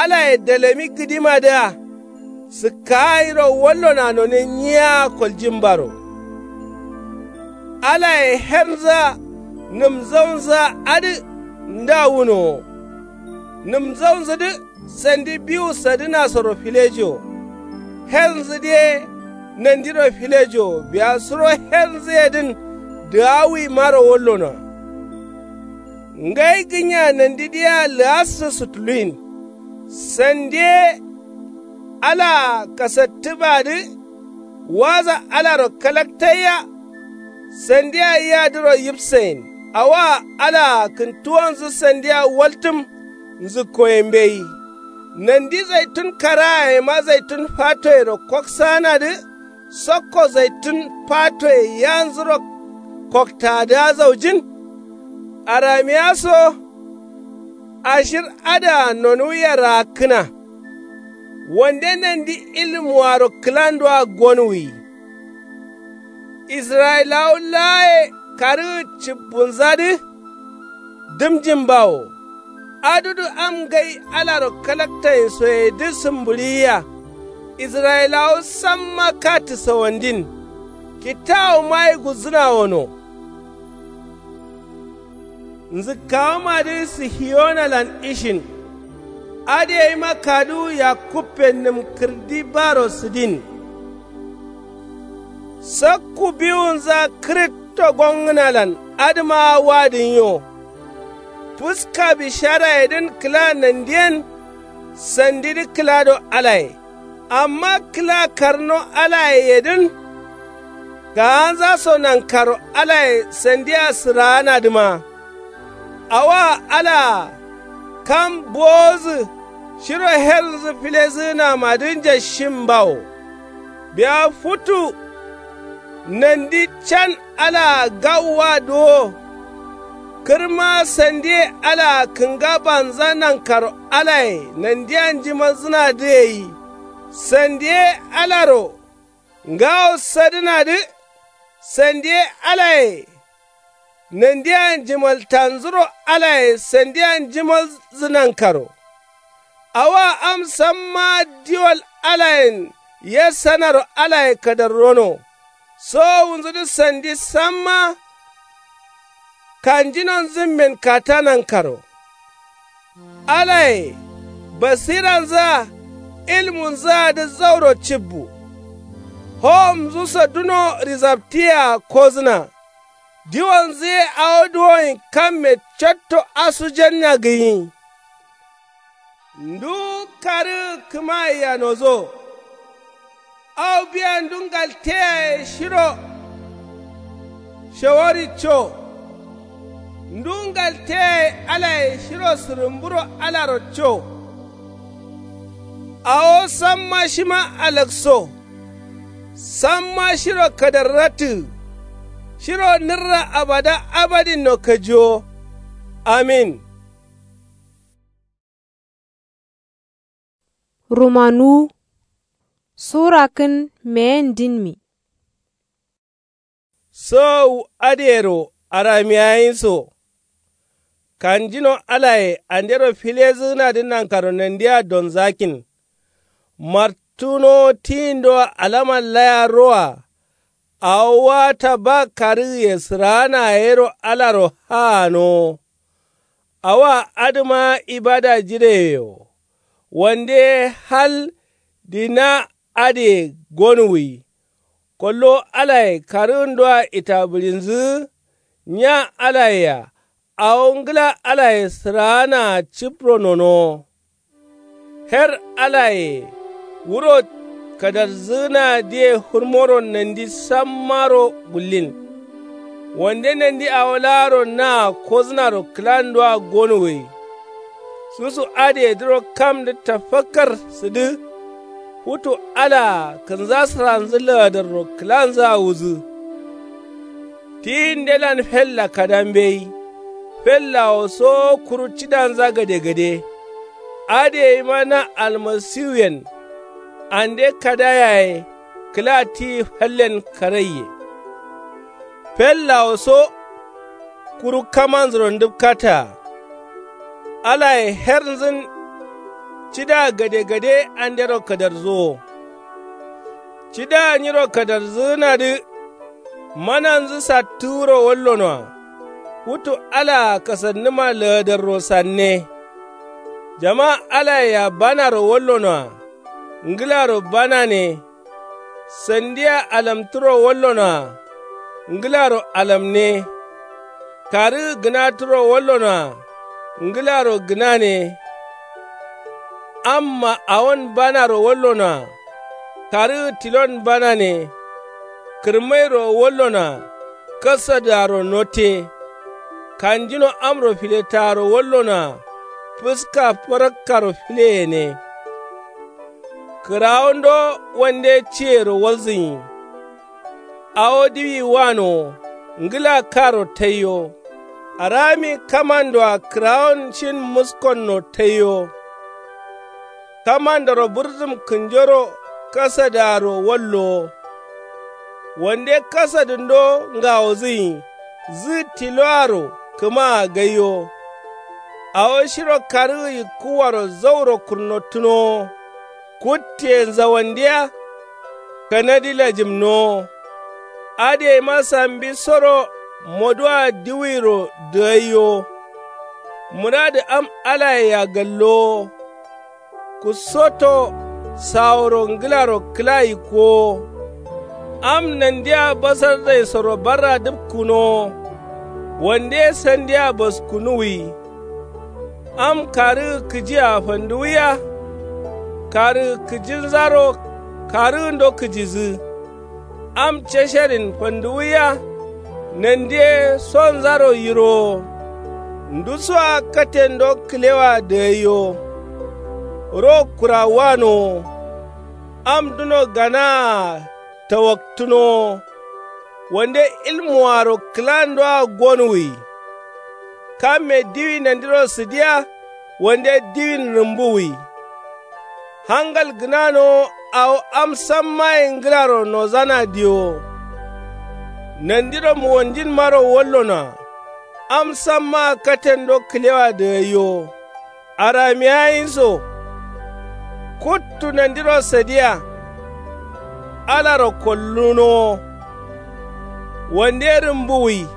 Alaye dalami gǝdimadǝa. Sǝkkaayiro wallona none nyiya koljin baro. Alaye hernza nǝmzaunza adǝ nda wunowo. Nǝmzaunzǝdǝ sandi biwu sadǝnasoro filejo. Hernzǝdǝ ye nandiro filejo biya suro hernzǝyedǝn dǝgawuimaro wallonoa. Ngai gǝnya nandidǝyea lǝassǝ sutuluyin. Sandi ye alaa kasattǝbadǝ. Waza alaro kalaktaiya. Sandiya yadǝro yibsayin awoa alaa kǝntuwonzǝ sandiya waltǝm. Nzǝkkoye mbeyi. Nandi zaitun karayema zaitun fatoyero koksaanadǝ. Sokko zaitun fatoye yanzuro koktadǝa zaujin. Aramiya so. Ashir adǝa nonuwiya raakkǝna. Wande nandi ilmuwaro kǝlandoa gonwuyi. Israyilawu laaye karǝgǝ cibbunzadǝ. Dǝmjin bawo. Adudǝ am ngai alaro kalaktayinsoyedǝ sǝmbǝɍiyiya. Israyilawu samma katǝ sawandin. Kittawu mayi guzzǝna wono. Nzǝkkawumadǝ sihiyonalan ishin. Adǝ yaima kaduwu yakkuppe nǝm kǝrdi baro sǝdin. Sakku biwunza kǝrǝtto gongǝnalan adǝmaa wadǝnyo. Fǝska bisharayedǝn kǝla nandiyen. Sandidǝ kǝlado alaye. Amma kǝla karno alayeyedǝn. Gaanza so nankaro alaye sandiya sǝraanadǝma. Awoa alaa kam bowozǝ shiro hernzǝ filezǝgǝnamadǝ njashin bawo. Biya futu nandi can alaa gawwa duwo. Kǝrma sandiye alaa kǝnga banza nankaro alaye nandiya njimalzǝnadǝ gai. Sandiye alaro ngawo sadǝnadǝ. Sandiye alaye nandiya njimaltanzuro alaye sandiya njimalzǝ nankaro. Awoa am sammaa diwal alayen yassanaro alaye kadarrono. Sowowunzudǝ sandi samma kanjinonzǝmmen kata nankaro. Alaye basiranzǝa ilmunzǝadǝ zauro cibbu. Howomnzuso duno risaptiyea kozǝna. Diwonzǝ ye awo duwoin kamme catto asujanniya gǝnyi. Nduwu karǝgǝ kǝmayeya nozo. Awo biya ndu ngalteyaye shiro shawaricco. Ndu ngalteyaye alaye shiro sǝrǝmburo alarocco. Awo samma shima alakso. Samma shiro kadarratǝgǝ. Shiro nǝrra abada abadinno kajiwo. Amin. Rumanuwu. Sura kǝn meyen dinmi. Sowowu adǝyero aramiyayinso. Kanjino alaye andero filezǝgǝnadǝ nankaro nandiya donzakin. Martunowo tiyindo alaman laya roa. Awo wata ba karǝgǝye sǝraana yero alaro haanowo. Awoa adǝma ibada jireyewo. Wande ye hal dina adǝye gonuwwi. Kollo alaye karǝgǝndoa itabǝrinzǝgǝ. Nya alayea awo ngǝla alaye sǝraanaa cipro nonowo. Her alaye wuro kadarzǝgǝnadǝye hurmoro nandi sammaro gullin. Wande nandi awo laaro naa kozǝnaro kǝlandoa gonuwwi. Susu adǝyedǝro kamdǝ tafakkar sǝdǝ. Futu alaa kǝnzasǝranzǝ laadarro kǝlanzǝa wuzǝ. Tiyin ndelan fella kada mbeyi. Fellawo so kuru cidanza gadegade. Adǝ yeima na almasiwuyen ande kada yaye kǝla tiyi fallen karaiye. Fellawo so kuru kamanzuro ndǝpkataa. Alaye hernzǝn cidaa gadegade andero kadarzuwo. Cidaa nyiro kadarzǝgǝnadǝ mananzǝ sattǝgǝro wallonoa. Futu alaa kasannǝma laadarro sanne. Jama alayea banaro wallonoa. Ngǝlaro banane. Sandia alamtǝro wallonoa. Ngǝlaro alamne. Karǝgǝ gǝnatǝro wallonoa. Ngǝlaro gǝnane. Amma awon banaro wallonoa. Karǝgǝ tilon banane. Kǝrmairo wallonoa. Kasadǝaro note. Kanjino amro filetaaro wallonoa. Fǝska farakkaro fileyene. Kǝrawondo wande ciyero walzǝnyi. Awo diwi wanowo. Ngǝla karo taiyo. Arami kamandoa kǝrawon shin muskonno taiyo. Kamandoro bǝrzǝm kǝnjoro kasadǝaro wallowo. Wande kasadǝndo ngawozǝnyi. Zǝ tiloaro kǝmaa gaiyo. Awo shiro karǝgǝ yikkǝwaro zauro kurnottunowo. Kuttiye nzawandiya. Kanadi lajǝmnowo. Adǝyeima sambisoro moduwa diwiro dǝgaiyo. Muradǝ am alayea gallowo. Kusoto saworo ngǝlaro kǝla yikkowo. Am nandia basarzaisoro barra dǝpkunowo. Wande sandia baskunuwwi. Am karǝgǝ kǝjia fanduwiya. Karǝgǝ kǝjinzaro karǝgǝndo kǝjidǝ. Am casharin fanduwiya. Nandi ye sonzaro yirowo. Ndusoa katendo kǝlewoa dǝgaiyo. Ro kurawanowo. Am duno ganaa tawaktǝnowo. Wande ilmuaro kǝlandoa gonuwwi. kamme diwi nandiro sǝdiya. Wande diwin rǝmbuwwi. Hangal gǝnanowo awo am sammaye ngǝlaro nozana diyowo. Nandiro muwonjinmaro wallonoa. Am sammaa katendo kǝlewa dǝgaiyowo. Aramiya yinso. Kuttu nandiro sadiya. Alaro kollunowo. Wande rǝmbuwwi.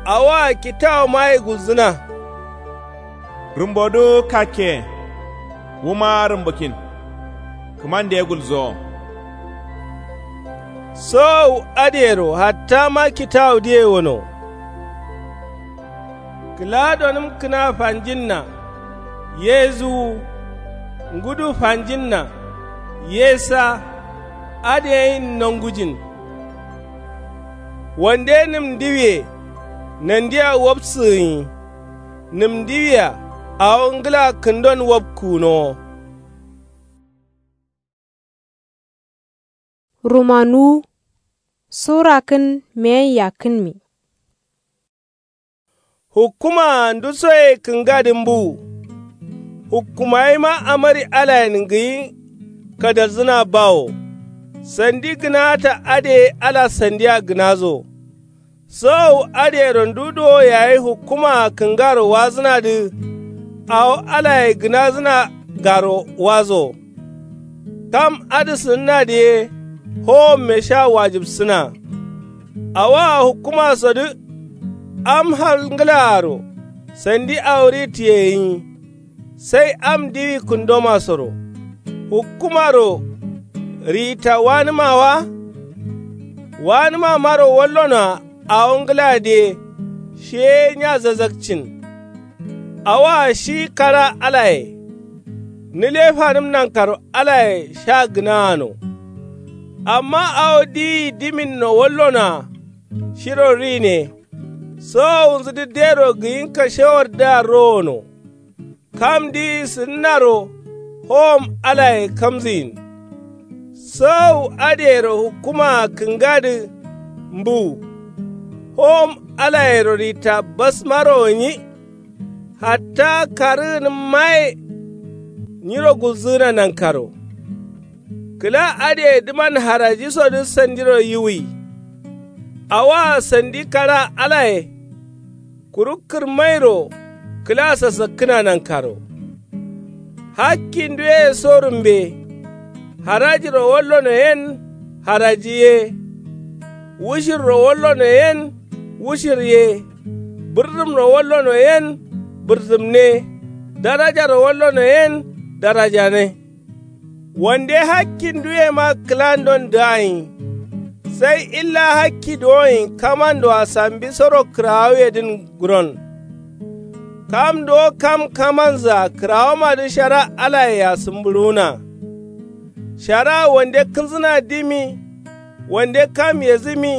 Awoa kitawumaye gulzǝna. Rǝmbodǝ kakke. Wuma rǝmbǝkin. Kǝmande gulzowo. Sowowu adǝyero hattama kitawudǝye wono. Kǝla donǝm kǝna fanjinna. Ye zuwu. Ngudu fanjinna. Ye sa. Adǝ yeyin nongujin. Wande nǝm ndiwiye. Nandia wobsǝgǝnyi. Nǝm ndiwia. Awo ngǝla kǝndon wobkunowo. Rumanuwu. Sura kǝn meyen yakkǝnmi. Hukkumaa ndusoye kǝngadǝ mbuwu. Hukkumayima amari alayen ngǝyi. Kadalzǝna bawo. Sandi gǝnata adǝye ala sandia gǝnazo. Sowowu adǝyero ndu duwo yayi hukkumaa kǝngaro wazǝnadǝ. Awo alaye gǝnazǝna garo wazo. Kam adǝ sǝnǝnadǝ ye. Howomme sha wajibsǝna. Awoa hukkumasodǝ. Am hal ngǝlaaro. Sandi awo ritǝye gǝnyi. Sai am diwi kǝndomasoro. Hukkumaro. Rita wanǝma wa. Wanǝmamaro wallonoa. Awo ngǝladǝye. Shi ye nya zazakcin. Awoa shi kara alaye. Nǝle fanǝm nankaro alaye sha gǝnaano. Amma awo diwi diminno wallonoa. Shiro rine. Sowowunzǝdǝ dero gǝyin kashewardǝa rowono. Kamdǝ sǝnnaro. Howom alaye kamzǝyin. Sowowu adǝyero hukkumaa kǝngadǝ. Mbuwu. Howom alayero rita basmaro gǝnyi. Hatta karǝgǝnǝmmaye. Nyiro gulzǝgǝna nankaro. Kǝla adǝye dǝman harajisodǝ sandiro yiwui. Awoa sandi kara alaye. Kuru kǝrmairo kǝla sasakkǝna nankaro. Hakkinduye so rǝmbe. Harajiro wallono yen. Haraji ye. Wushirro wallono yen. Wushir ye. Bǝrdǝmro wallono yen. Bǝrdǝmne. Darajaro wallono yen. Darajane. Wande hakkinduyema kǝlandon dǝgaiyi. Sai illa hakki duwonyi kamandoa sambisoro kǝrawuyedǝn guron. Kam duwo kam kamanzǝa kǝrawomadǝ shara alayea sǝmbǝɍuwuna. Shara wande kǝnzǝna dimi. Wande kam yezǝmi.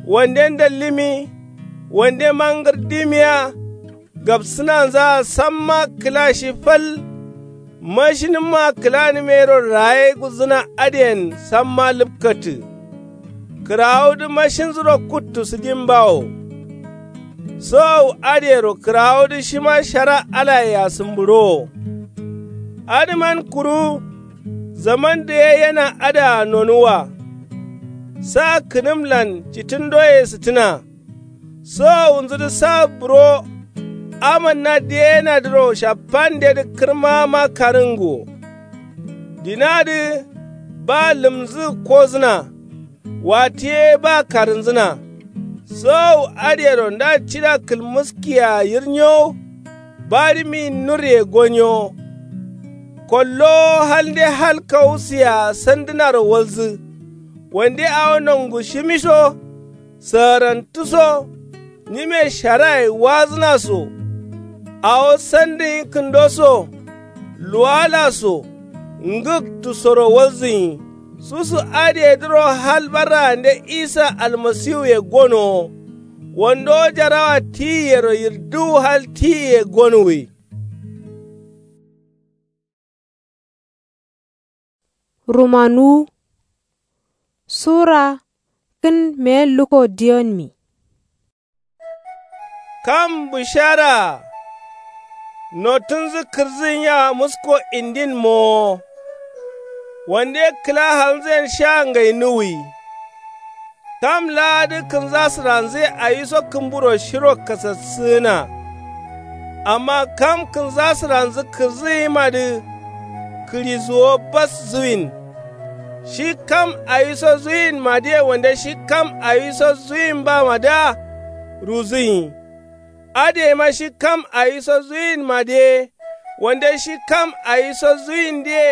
Wande ndallǝmi. Wande mangǝr dimiya. Gabsǝnanzaa samma kǝla shi fal. Mashinǝmma kǝlanǝm yero raye gulzǝna adǝyen samma lǝpkatǝ. Kǝrawudǝ mashinzuro kuttu sǝdimbawo. Sowowu adǝyero kǝrawudǝ shima shara alayea sǝmbǝɍowo. Adǝman kuru. Zaman dǝ ye yena adǝa nonuwwa. Sa kǝnǝmlan citǝndoye sǝtǝna. Sowowunzǝdǝ sa buro. Amanna diyenadǝro shappandedǝ kǝrmama karǝnguwo. Dinadǝ. Ba lǝmzǝ kozǝna. Watiye ba karǝnzǝna. Sowowu adǝyero nda cida kǝlmǝskiyea yirnyowo. Barǝmi nurye gonyowo. Kollowo halnde hal kawusiyea sandǝnaro walzǝ. Wande awo nongu shimisho. Sagarantu so. Nyime sharaye wazǝna so. Awo sandǝnyi kǝndo so. Luwala so. Ngǝktu soro walzǝnyi. Susu adǝyedǝro hal barraande isa almasiwuye gonowo. Wando jarawa tiyiyero yirdǝwu hal tiyiye gonuwwi. Rumanuwu. Sura kǝn meyen luko diyonmi. Kam bǝsharaa notǝnzǝ kǝrǝzǝ nyi a musko indin mowo. Wande kǝla halnzǝyen sha ngai nuwuyi. Kam laadǝ kǝnza sǝranzǝye awiso kǝmburo shiro kasassǝgǝna. Amma kam kǝnza sǝranzǝ kǝrǝzǝyimadǝ kǝɍizuwo bas zuwin. Shi kam awiso zuwinmadǝye wande shi kam awiso zuwinbamadǝa ruzǝnyi. Adǝyeima shi kam awiso zuwinmadǝye wande shi kam awiso zuwindǝye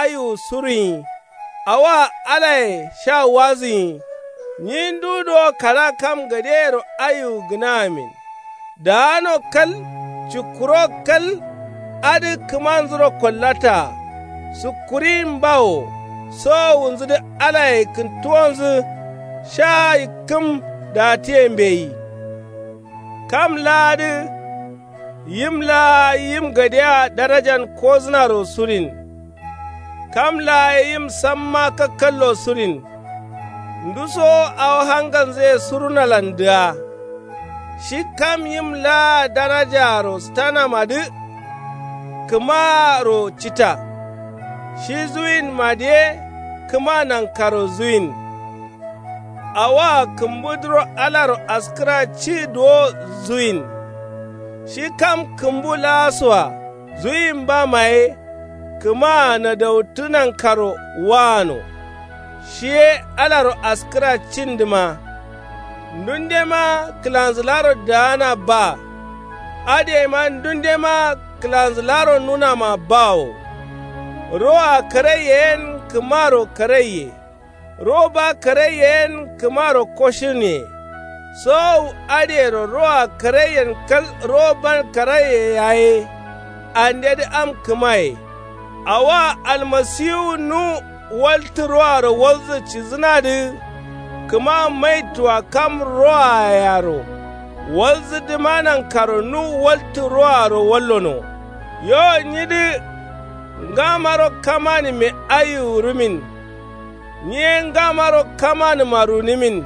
aiwu surunyi. Awoa alaye sha wazǝnyi. Nyi ndu dowo kara kam gadeyero aiwu gǝnagamin. Daano kal cukkuro kal adǝ kǝmanzuro kollataa. Sukkurin bawo sowowunzudǝ alaye kǝntuwonzǝ sha yikkǝm daatiye mbeyi. Kam laadǝ yim laa yim gadea darajan kozǝnaro surin. Kam laa ye yim samma kakkallo surin. Ndusowo awo hangalnzǝye surunalandǝa. Shi kam yim laa darajaro stanamadǝ kǝmaro cita. Shi zuwinmadǝ ye kǝma nankaro zuwin. Awoa kǝmbudǝro alaro askǝra ci duwo zuwin. Shi kam kǝmbu laasoa zuwinbama ye kǝmaa nadautǝ nankaro waano. Shi ye alaro askǝra cindǝma. Ndundema kǝlanzǝlaro daana ba. Adǝyeima ndundema kǝlanzǝlaro nunama bawo. Roa karaiye yen kǝmaro karaiye. Ro ba karaiye yen kǝmaro koshǝne. Sowowu adǝyero roa karaiyen kal ro ban karaiye yaye. Andedǝ am kǝmaye. Awoa almasiwu nu waltǝ roaro walzǝ cizǝnadǝ. Kǝma maitua kam roayaro walzǝdǝma nankaro nu waltǝ roaro wallono. Yo nyidǝ ngamaro kamanǝme aiwu rumin. Nyi ye ngamaro kamanǝma runǝmin.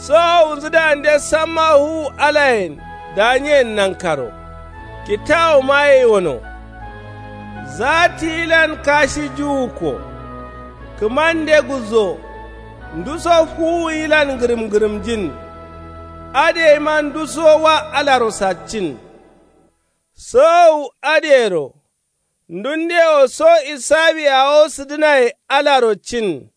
Sowowunzudǝande samma fuwu alayen danyen nankaro. Kitawuma yeiwono. Zaatiyilan kashi juwukko. Kǝmande gulzo. Nduso fuwuyilan ngǝrǝm ngǝrǝmjin. Adǝyeima nduso wa alaro saccin. Sowowu adǝyero ndundewo so isawi awo sǝdǝnaye alaro cin.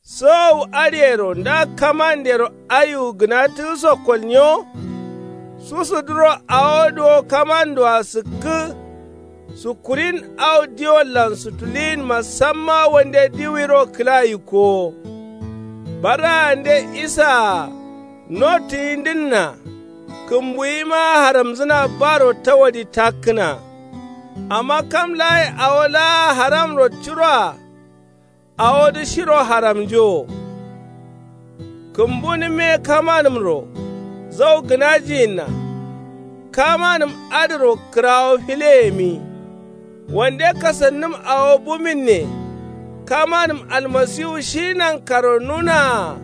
Sowowu adǝyero nda kamandero aiwu gǝnatǝgǝso kolnyo. Susudǝro awo duwo kamandoa sǝkkǝ. Sukkurin au diwollan sutuliyinma samma wande diwiro kǝla yikkowo. Barraande isaa notǝyindǝnna. Kǝmbuyima haramzǝna baro tawadi takkǝna. Amma kam laaye awo laa haramro curoa. Awodǝ shiro haramnjowo. Kǝmbunǝmme kamanǝmro zau gǝnajiyinna. Kamanǝm adǝro kǝrawo fileyemi. Wande kasannǝm awo buminne. Kamanǝm almasiwu shi nankaro nunaa.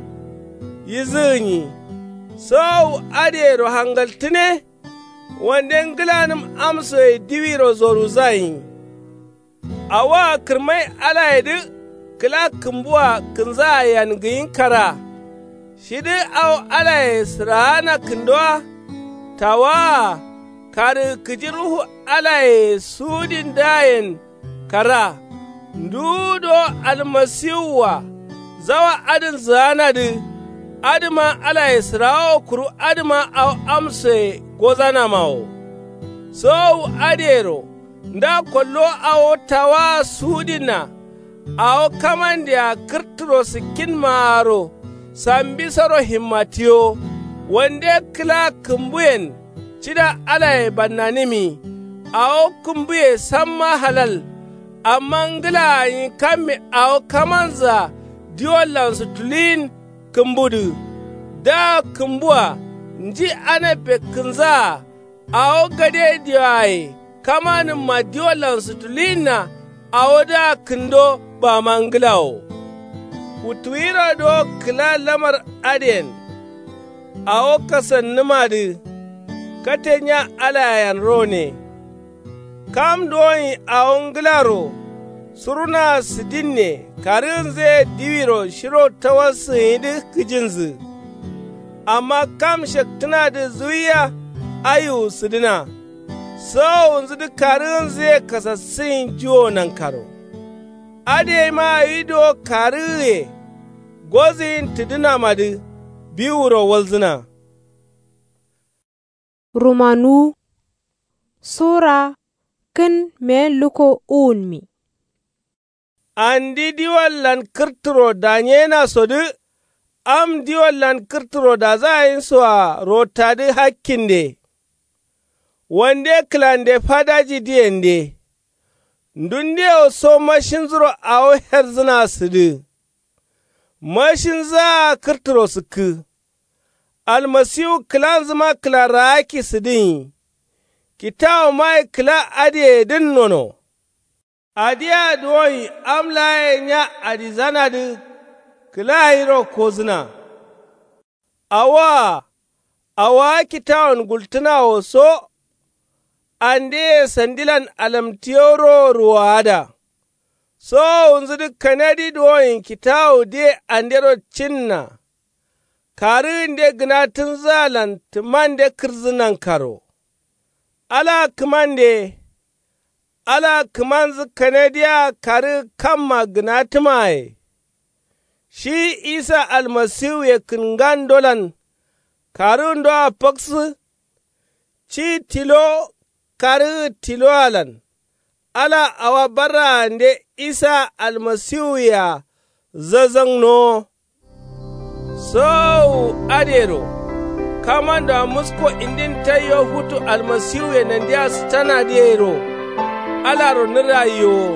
Yizǝgǝnyi. Sowowu adǝyero hangaltǝne. Wande ngǝlanǝm amsoye diwiro zoruzayi. Awoa kǝrmai alayedǝ kǝla kǝmbua kǝnzaa yangǝyin kara. Shidǝ au alaye sǝraana kǝndowa. Tawaa karǝgǝ kǝji ruhu alaye suwudindǝayen kara. Nduwu do almasiwua zawa adǝn zǝganadǝ. Adǝma alaye sǝrawo kuru adǝma au amsoye gozanama wo. Sowowu adǝyero nda kollo awo tawaa suwudinna. Awo kamandea kǝrtǝro sǝkkinmaaro sambisoro himmatiyo. Wande kǝla kǝmbuyen cida alaye bannanǝmi. Awo kǝmbuye samma halal. Amma ngǝla gǝnyi kamme awo kamanzǝa diwollan sutuluyin kǝmbudǝ. Daa kǝmbua nji anappe kǝnzaa. Awo gade dioaye kamanǝmma diwollan sutuluyinna. Awodǝa kǝndo bama ngǝlawo. Futuwiro do kǝla lamar adǝyen. Awo kasannǝmadǝ. Kate nya alayen rone. Kam duwonyi awo ngǝlaro surunaa sǝdinne karǝgǝnzǝye diwiro shiro tawassǝgǝnyidǝ kǝjinzǝ. Amma kam shektǝnadǝ zuwiya aiwu sǝdǝna. Sowowunzudǝ karǝgǝnzǝye kasassǝgǝnyi juwo nankaro. Adǝ yeima awi duwo karǝgǝye gozǝgin tǝdǝnamadǝ biwuro walzǝna. Rumanuwu sura kǝn meyen lukko uwunmi. Andi diwallan kǝrtǝro danyenasodǝ am diwallan kǝrtǝro dazagǝnyisoa rottadǝ hakkinde. Wande kǝlande fadajidǝyende. Ndundewo so mashinzuro awo herzǝna sǝdǝ. Mashinzǝa kǝrtǝro sǝkkǝ. Almasiwu kǝlanzǝma kǝlarraakki sǝdǝnyi. Kitawomaye kǝla adǝyeyedǝn nono. Adǝa duwonyi am laaye nya adizanadǝ kǝlaganyiro kozǝna. Awoa awoa kitawon gultǝnawo so. Andeye sandilan alamtǝyeuro ruwoada. Sowowunzudǝ kanadi duwonyi kitawudǝye andero cinna. Karǝgǝnde gǝnatǝnzǝalan tǝmande kǝrǝzǝ nankaro. Alaa kǝmande. Alaa kǝmanzǝ kanadiyea karǝgǝ kamma gǝnatǝmaye. Shi isa almasiwuye kǝngandolan karǝgǝndoa faksǝ. Ci tilo karǝgǝ tiloalan. Ala awa barraande isa almasiwuyea zazangnowo. Sowowu adǝyero kamandoa musko indin taiyo futu almasiwuye nandia sǝtanadǝ yairo. Alaro nǝraiyowo.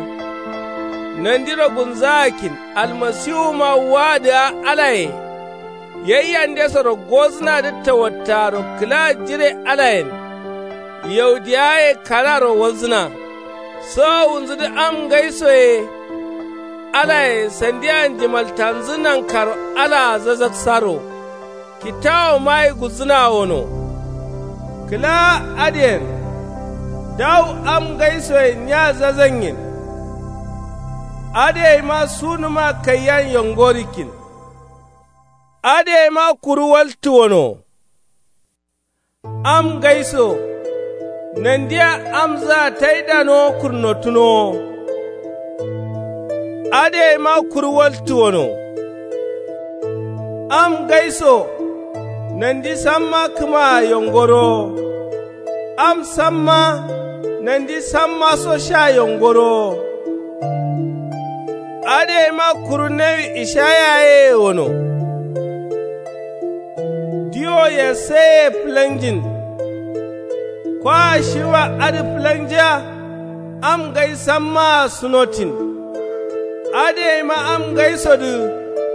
Nandiro gulnzagakkin almasiwuma waadǝa alaye. Yaiyandesoro gozǝnadǝ tawattaaro kǝla jire alayen. Yaudiyawaye kararo walzǝna. Sowowunzudǝ am ngaisoye. Alaye sandia njimaltanzǝ nankaro alaa zazaksaro. Kitawomaye gulzǝna wono. Kǝla adǝyen. Dawu am ngaisoyen nya zazangin. Adǝyeima sunuma kaiyan yongorikkin. Adǝyeima kuru waltǝ wono. Am ngaiso nandia amzǝa taidanowo kurnotǝnowo. Adǝyeima kuru waltǝ wono. Am ngaiso nandi samma kǝmaa yongorowo. Am samma nandi sammaso sha yongorowo. Adǝyeima kuru nawi ishaya yeye wono. Diwo yesseye fǝlanjin. Kwa shiwa adǝ fǝlanja. Am ngai sammaa sunotin. Adǝyeima am ngaisodǝ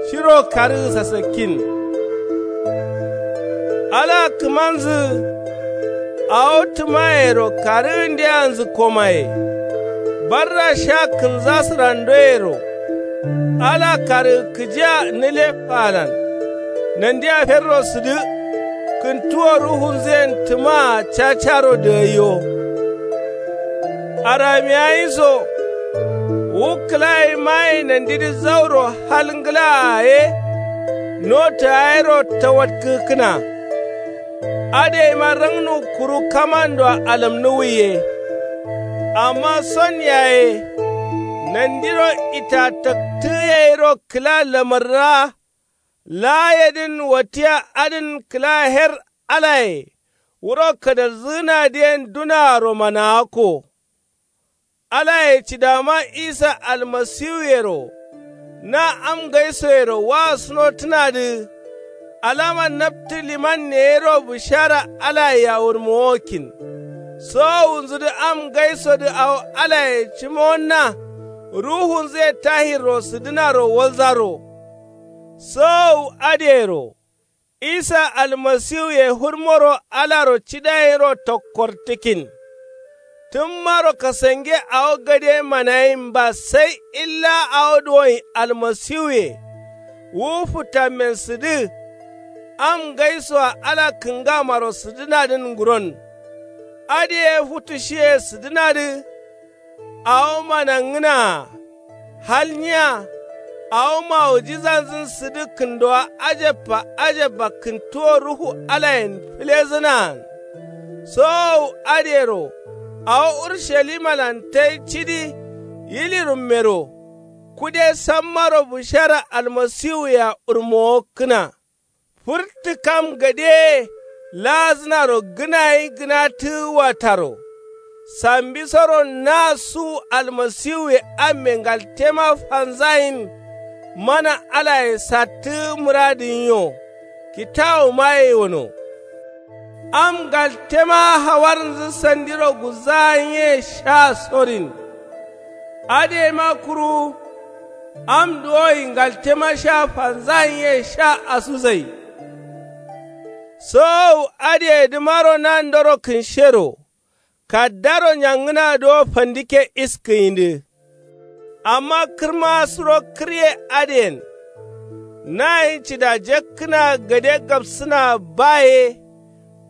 shiro karǝgǝ sasakkin. Ala kǝmanzǝ awo tǝmayero karǝgǝndeanzǝ komaye. Barra sha kǝnzasǝrandoyero. Ala karǝgǝ kǝjia nǝle faalan. Nandia ferro sǝdǝ. Kǝntuwo ruhunzǝyen tǝmaa cacaro dǝgaiyo. Aramiyayinso wu kǝlayimaye nandidǝ zauro hal ngǝlaa ye. Notǝ yayero tawatkǝgǝkkǝna. Adǝyeima rangnu kuru kamandoa alamnuwwi ye. Amma son yaye nandiro itataktǝgǝ yero kǝla lamarraa. Laayedǝn wattiya adǝn kǝla her alaye. Wuro kadalzǝgǝnadǝyen dunaaro managakko. Alaye cidama isa almasiwuyero. Na am ngaisoyero wa sunotǝnadǝ. Alama naptǝ limanne yero bǝshara alayea wurmowokkin. Sowowunzudǝ am ngaisodǝ awo alaye cǝmowonna. Ruhunzǝye tahirro sǝdǝnaro walzaro. Sowowu adǝyero. Isa almasiwuye fǝrmoro alaro cidayinro tokkortǝkkin. Tǝmmaro kasange awo gade manayinba sai illa awo duwonyi almasiwuye. Wu fǝtammen sǝdǝ. Am ngaisoa ala kǝngamaro sǝdǝnadǝn nguron. Adǝ ye futu shiye sǝdǝnadǝ. Awo manangǝnaa hal nyiya. Awo mawujizanzǝn sǝdǝ kǝndowa ajabba ajabba kǝntuwo ruhu alayen fǝlezǝnaan. Sowowu adǝyero awo urushallimalan tai cidi yilirummero kude sammaro bushara almasiwuye-a urmowokkǝna. Fǝrtǝ kam gadeye laazǝnaro gǝnayi gǝnatǝgǝ wataro. Sambisoro na suwu almasiwuye amme ngaltema fanzayin. Mana alaye sattǝgǝ mǝradǝ nyiyo kitawumaye wono. Am ngaltema hawarnzǝ sandiro guzzayin ye sha sorin. Adǝ yema kuru am duwoyi ngaltema sha fanzayin ye sha asuzai. Sowowu adǝyedǝmaro nandoro kǝnshero kaddaro nyangǝna duwo fandike iskǝyindǝ. Amma kǝrma suro kǝrye adǝyen nayin cida jakkǝna gade gabsǝna ba ye.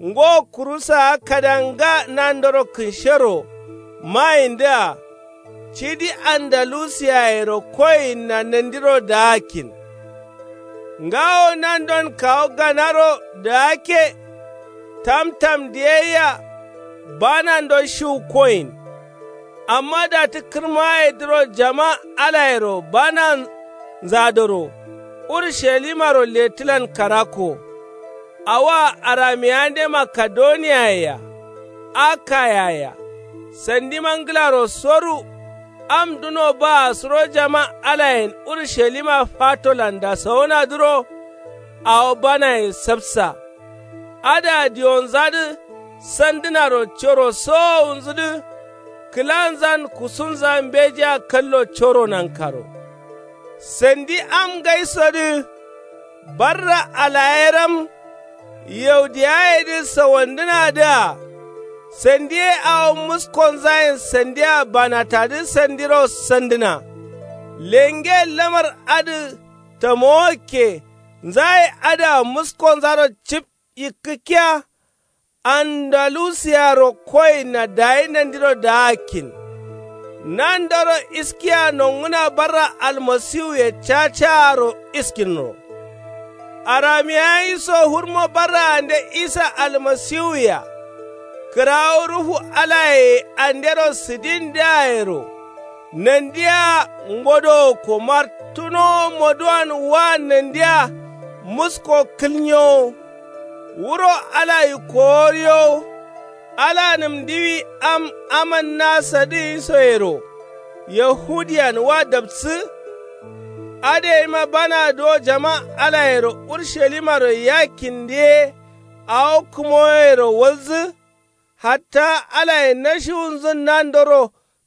Ngo kurusaa kadanga nandoro kǝnshero mayindǝa cidi andalusiyayero koyinna nandiro daakkin. Ngawo nandon kawu ganaro daakke. Tamtam diyayya banando shiwu koyin. Amma datǝ kǝrmayedǝro jama alayero bananzadoro urushalimaro lettǝlan karakko. Awoa aramiyande makedoniyayea akayayea sandima ngǝlaro soru. Am duno baa suro jama alayen urushalima fatolan dasawonadǝro awo banaye sapsa. Adǝa diyonzadǝ sandǝnaro coro sowowunzǝdǝ kǝlanzan kusunza mbejea kallo coro nankaro. Sandi am ngaisodǝ barra alayeram yaudiyayedǝ sawandǝnadǝa sandi ye awo muskonzayen sandia banatadǝ sandiro sandǝna. Lenge lamar adǝ tamowokke nzaye adǝa muskonzaro cip yikkǝkkiya. Andalusiyaro koyinna dayi nandiro daakkin. Nandoro iskiya nongǝna barra almasiwuye cacaaro iskinro. Aramiyayi so hurmo barraande isa almasiwuye-a kǝrawu ruhu alaye andero sǝdindǝayero nandia ngodowo komar tunowo moduwan wa nandia musko kǝlnyowo. Wuro ala yikkowo riyowo. Alanǝm ndiwi am amanna sadǝ yisoyero yahudiyan wa dapsǝ. Adǝ yeima bana duwo jama alayero urushalimaro yakkindǝ ye awo kǝmoyero walzǝ. Hatta alaye nashiwunzǝn nandoro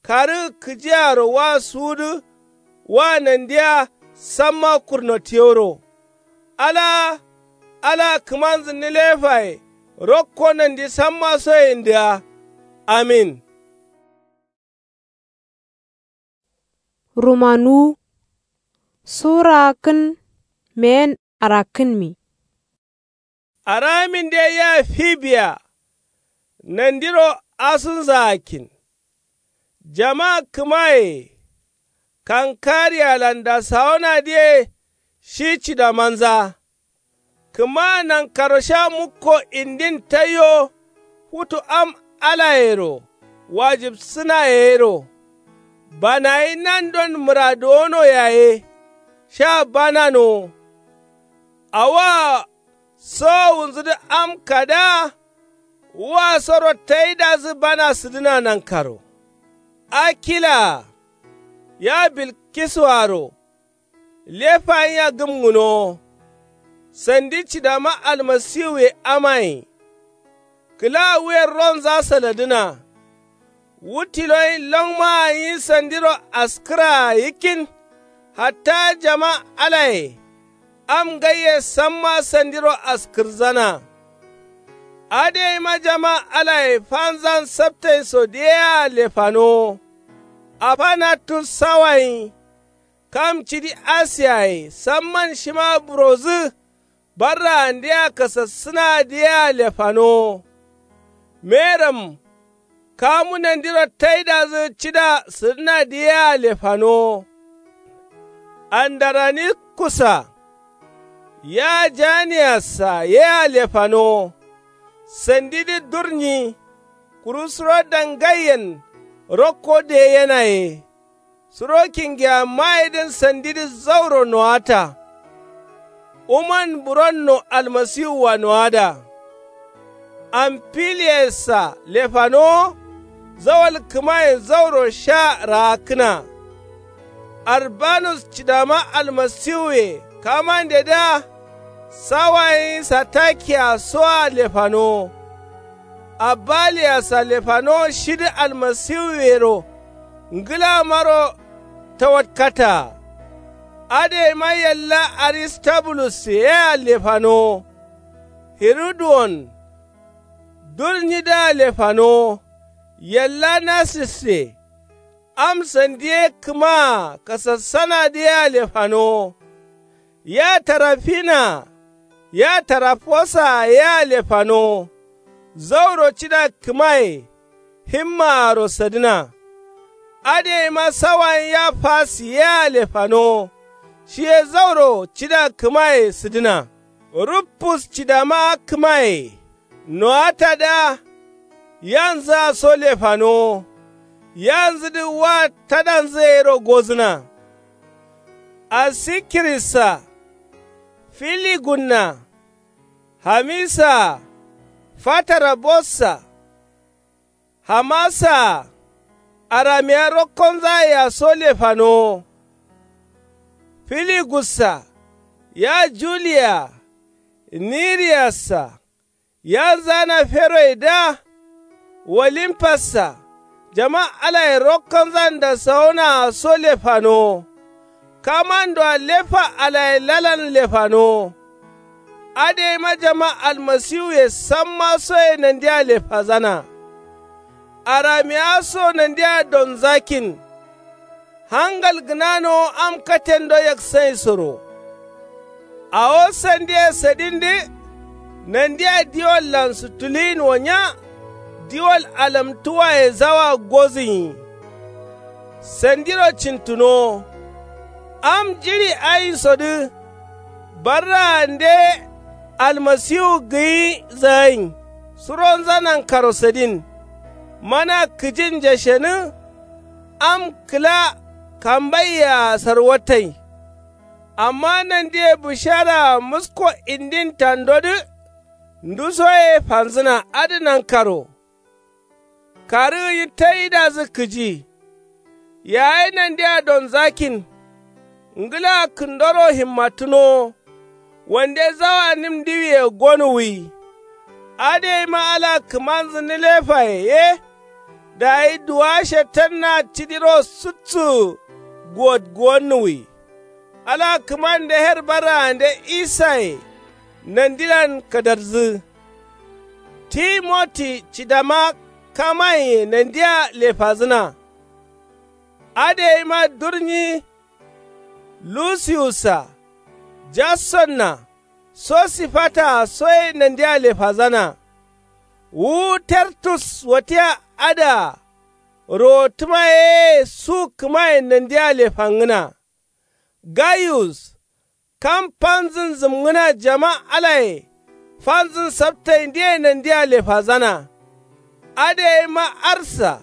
karǝgǝ kǝjiaro wa suwudǝ. Wa nandiya samma kurnotiyoro. Alaa ala kǝmanzǝ nǝlefaye rokko nandi samma soyendǝa. Amin. Rumanuwu sura gǝn meyen arakkǝnmi. Araminde ya fibiya nandiro asunzagakkin. Jama kǝmaye kankariyalan dasawonadǝye shi cidamanza. Kǝma nankaro sha mukko indin taiyo futu am alayero wajibsǝna yero. Banayi nandon mǝraduwono yaye sha bananowo. Awoa sowowunzǝdǝ am kada. Wasoro taidazǝ bana sǝdǝna nankaro. Akilaa ya bilkisuaro lefa nyiya gǝmgǝnowo. Sandi cidama almasiwuye amaye kǝla wuyen ronza saladǝna. Wu tiloyin longmaa nyi sandiro askǝraa yikkin. Hatta jama alaye am ngaiye samma sandiro askǝrzana. Adǝ yeima jama alaye fanzan saptainso diyea lefanowo. Afanatus sawayin kam cidi asiyaye samman shima burodǝ. Barraandea kasassǝnadǝ yea lefanowo. Meram kamu nandiro taidazǝ cida sǝdǝnadǝ yea lefanowo. Andaranikusa yea janiyassa yea lefanowo. Sandidǝ durnyi kuru suro dangaiyen rokko deyenaye. Suro kingiyammayedǝn sandidǝ zauro nowata. Uman buronno almasiwua nowada. Amfiliyassa lefanowo zawal kǝmaye zauro sha raakkǝna. Arbanus cidama almasiwuye kamandedǝa. Sawayin satakiyasoa lefanowo. Abaliyassa lefanowo shidǝ almasiwuyero ngǝlamaro tawatkataa. Adǝyeima yalla aristabulusyea lefanowo. Hiruduwon durnyidǝa lefanowo. Yalla nasisse am sandiye kǝmaa kasassanadǝ yea lefanowo. Ya tarafina ya tarafosaa yea lefanowo. Zauro cida kǝmaye himmaaro sadǝna. Adǝyeima sawayin ya fasi yea lefanowo. Shiye zauro cida kǝmaye sǝdǝna. Ruffus cidama kǝmaye nowatadǝa. Yanzǝa so lefanowo. Yanzǝdǝ wa tadanzǝ yero gozǝna. Asikirissa filigunna hamisaa fatarabossa hamasaa aramiya rokkonzayea so lefanowo. Filigussa ya juliya niriyassa yanzana feroyedǝa. Wolimpassa jama alaye rokkonzan dasawonaa so lefanowo. Kamandoa lefa alaye lalan lefanowo. Adǝyeima jama almasiwuye samma soye nandia lefazana. Aramiya so nandia donzakin. Hangal gǝnanowo am katendo yaksaisoro. Awo sandiye sadindǝ nandia diwallan sutuluyin wo nya. Diwal alamtuwaye zawa gozǝnyi. Sandiro cintunowo. Am jiɍi ainsodǝ barraande almasiwu gǝyi zayin suronza nankaro sadin. Mana kǝjin jashenǝ am kǝla kambaiyea sarwatai. Amma nandiye bǝsharaa musko indin tandodǝ ndusoye fanzǝna adǝ nankaro. Karǝgǝnyi taidazǝ kǝji. Yayi nandia donzakin. Ngǝla kǝndoro himmatǝnowo. Wande zawa nim ndiwiye gonuwwi. Adǝyeima ala kǝmanzǝ nǝlefaye ye. Dayi duwa shetanna cidiro suttǝ guwot guwonnuwwi. Ala kǝmande her barraande isaye nandilan kadarzǝ. Timoti cidama kamaiye nandia lefazǝna. Adǝyeima durnyi lusiyussa jasonna sosifataa soye nandia lefazana. Wu tertus watia adǝa rowottǝma yeye su kǝmaye nandia lefangǝna. Gayus kam fanzǝn zǝmngǝna jama alaye fanzǝn saptaindǝye nandia lefazana. Adǝ yaima arsa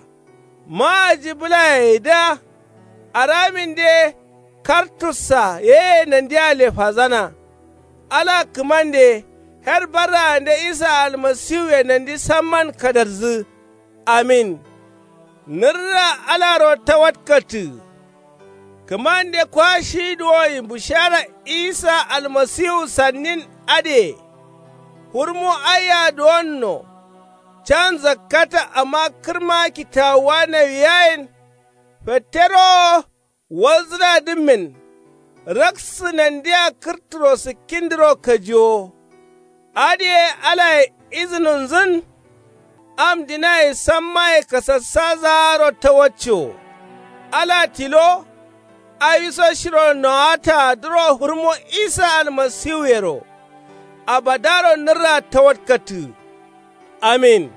maaji bǝlayedǝa araminde kartussa yeye nandia lefazana. Ala kǝmande her barraande isa almasiwuye nandi samman kadarzǝ. Amin. Nǝrra alaro tawatkatǝ. Kǝmande kwa shi duwoyin bushara isa almasiwu sannin adǝye. Hurmu aiya duwonno. Can zakkata amma kǝrma kitawuwa nawiyayen. Fettero wo walzǝnadǝmmin. Raksǝ nandia kǝrturo sǝkkindǝro kajiwo. Adǝ ye alaye izǝnunzǝn. Am dinaye sammaye kasassazaaro tawacco. Ala tilo awiso shiro nowatadǝro hurmo isa almasiwuyero. Abadaro nǝrra tawatkatǝ. Amin.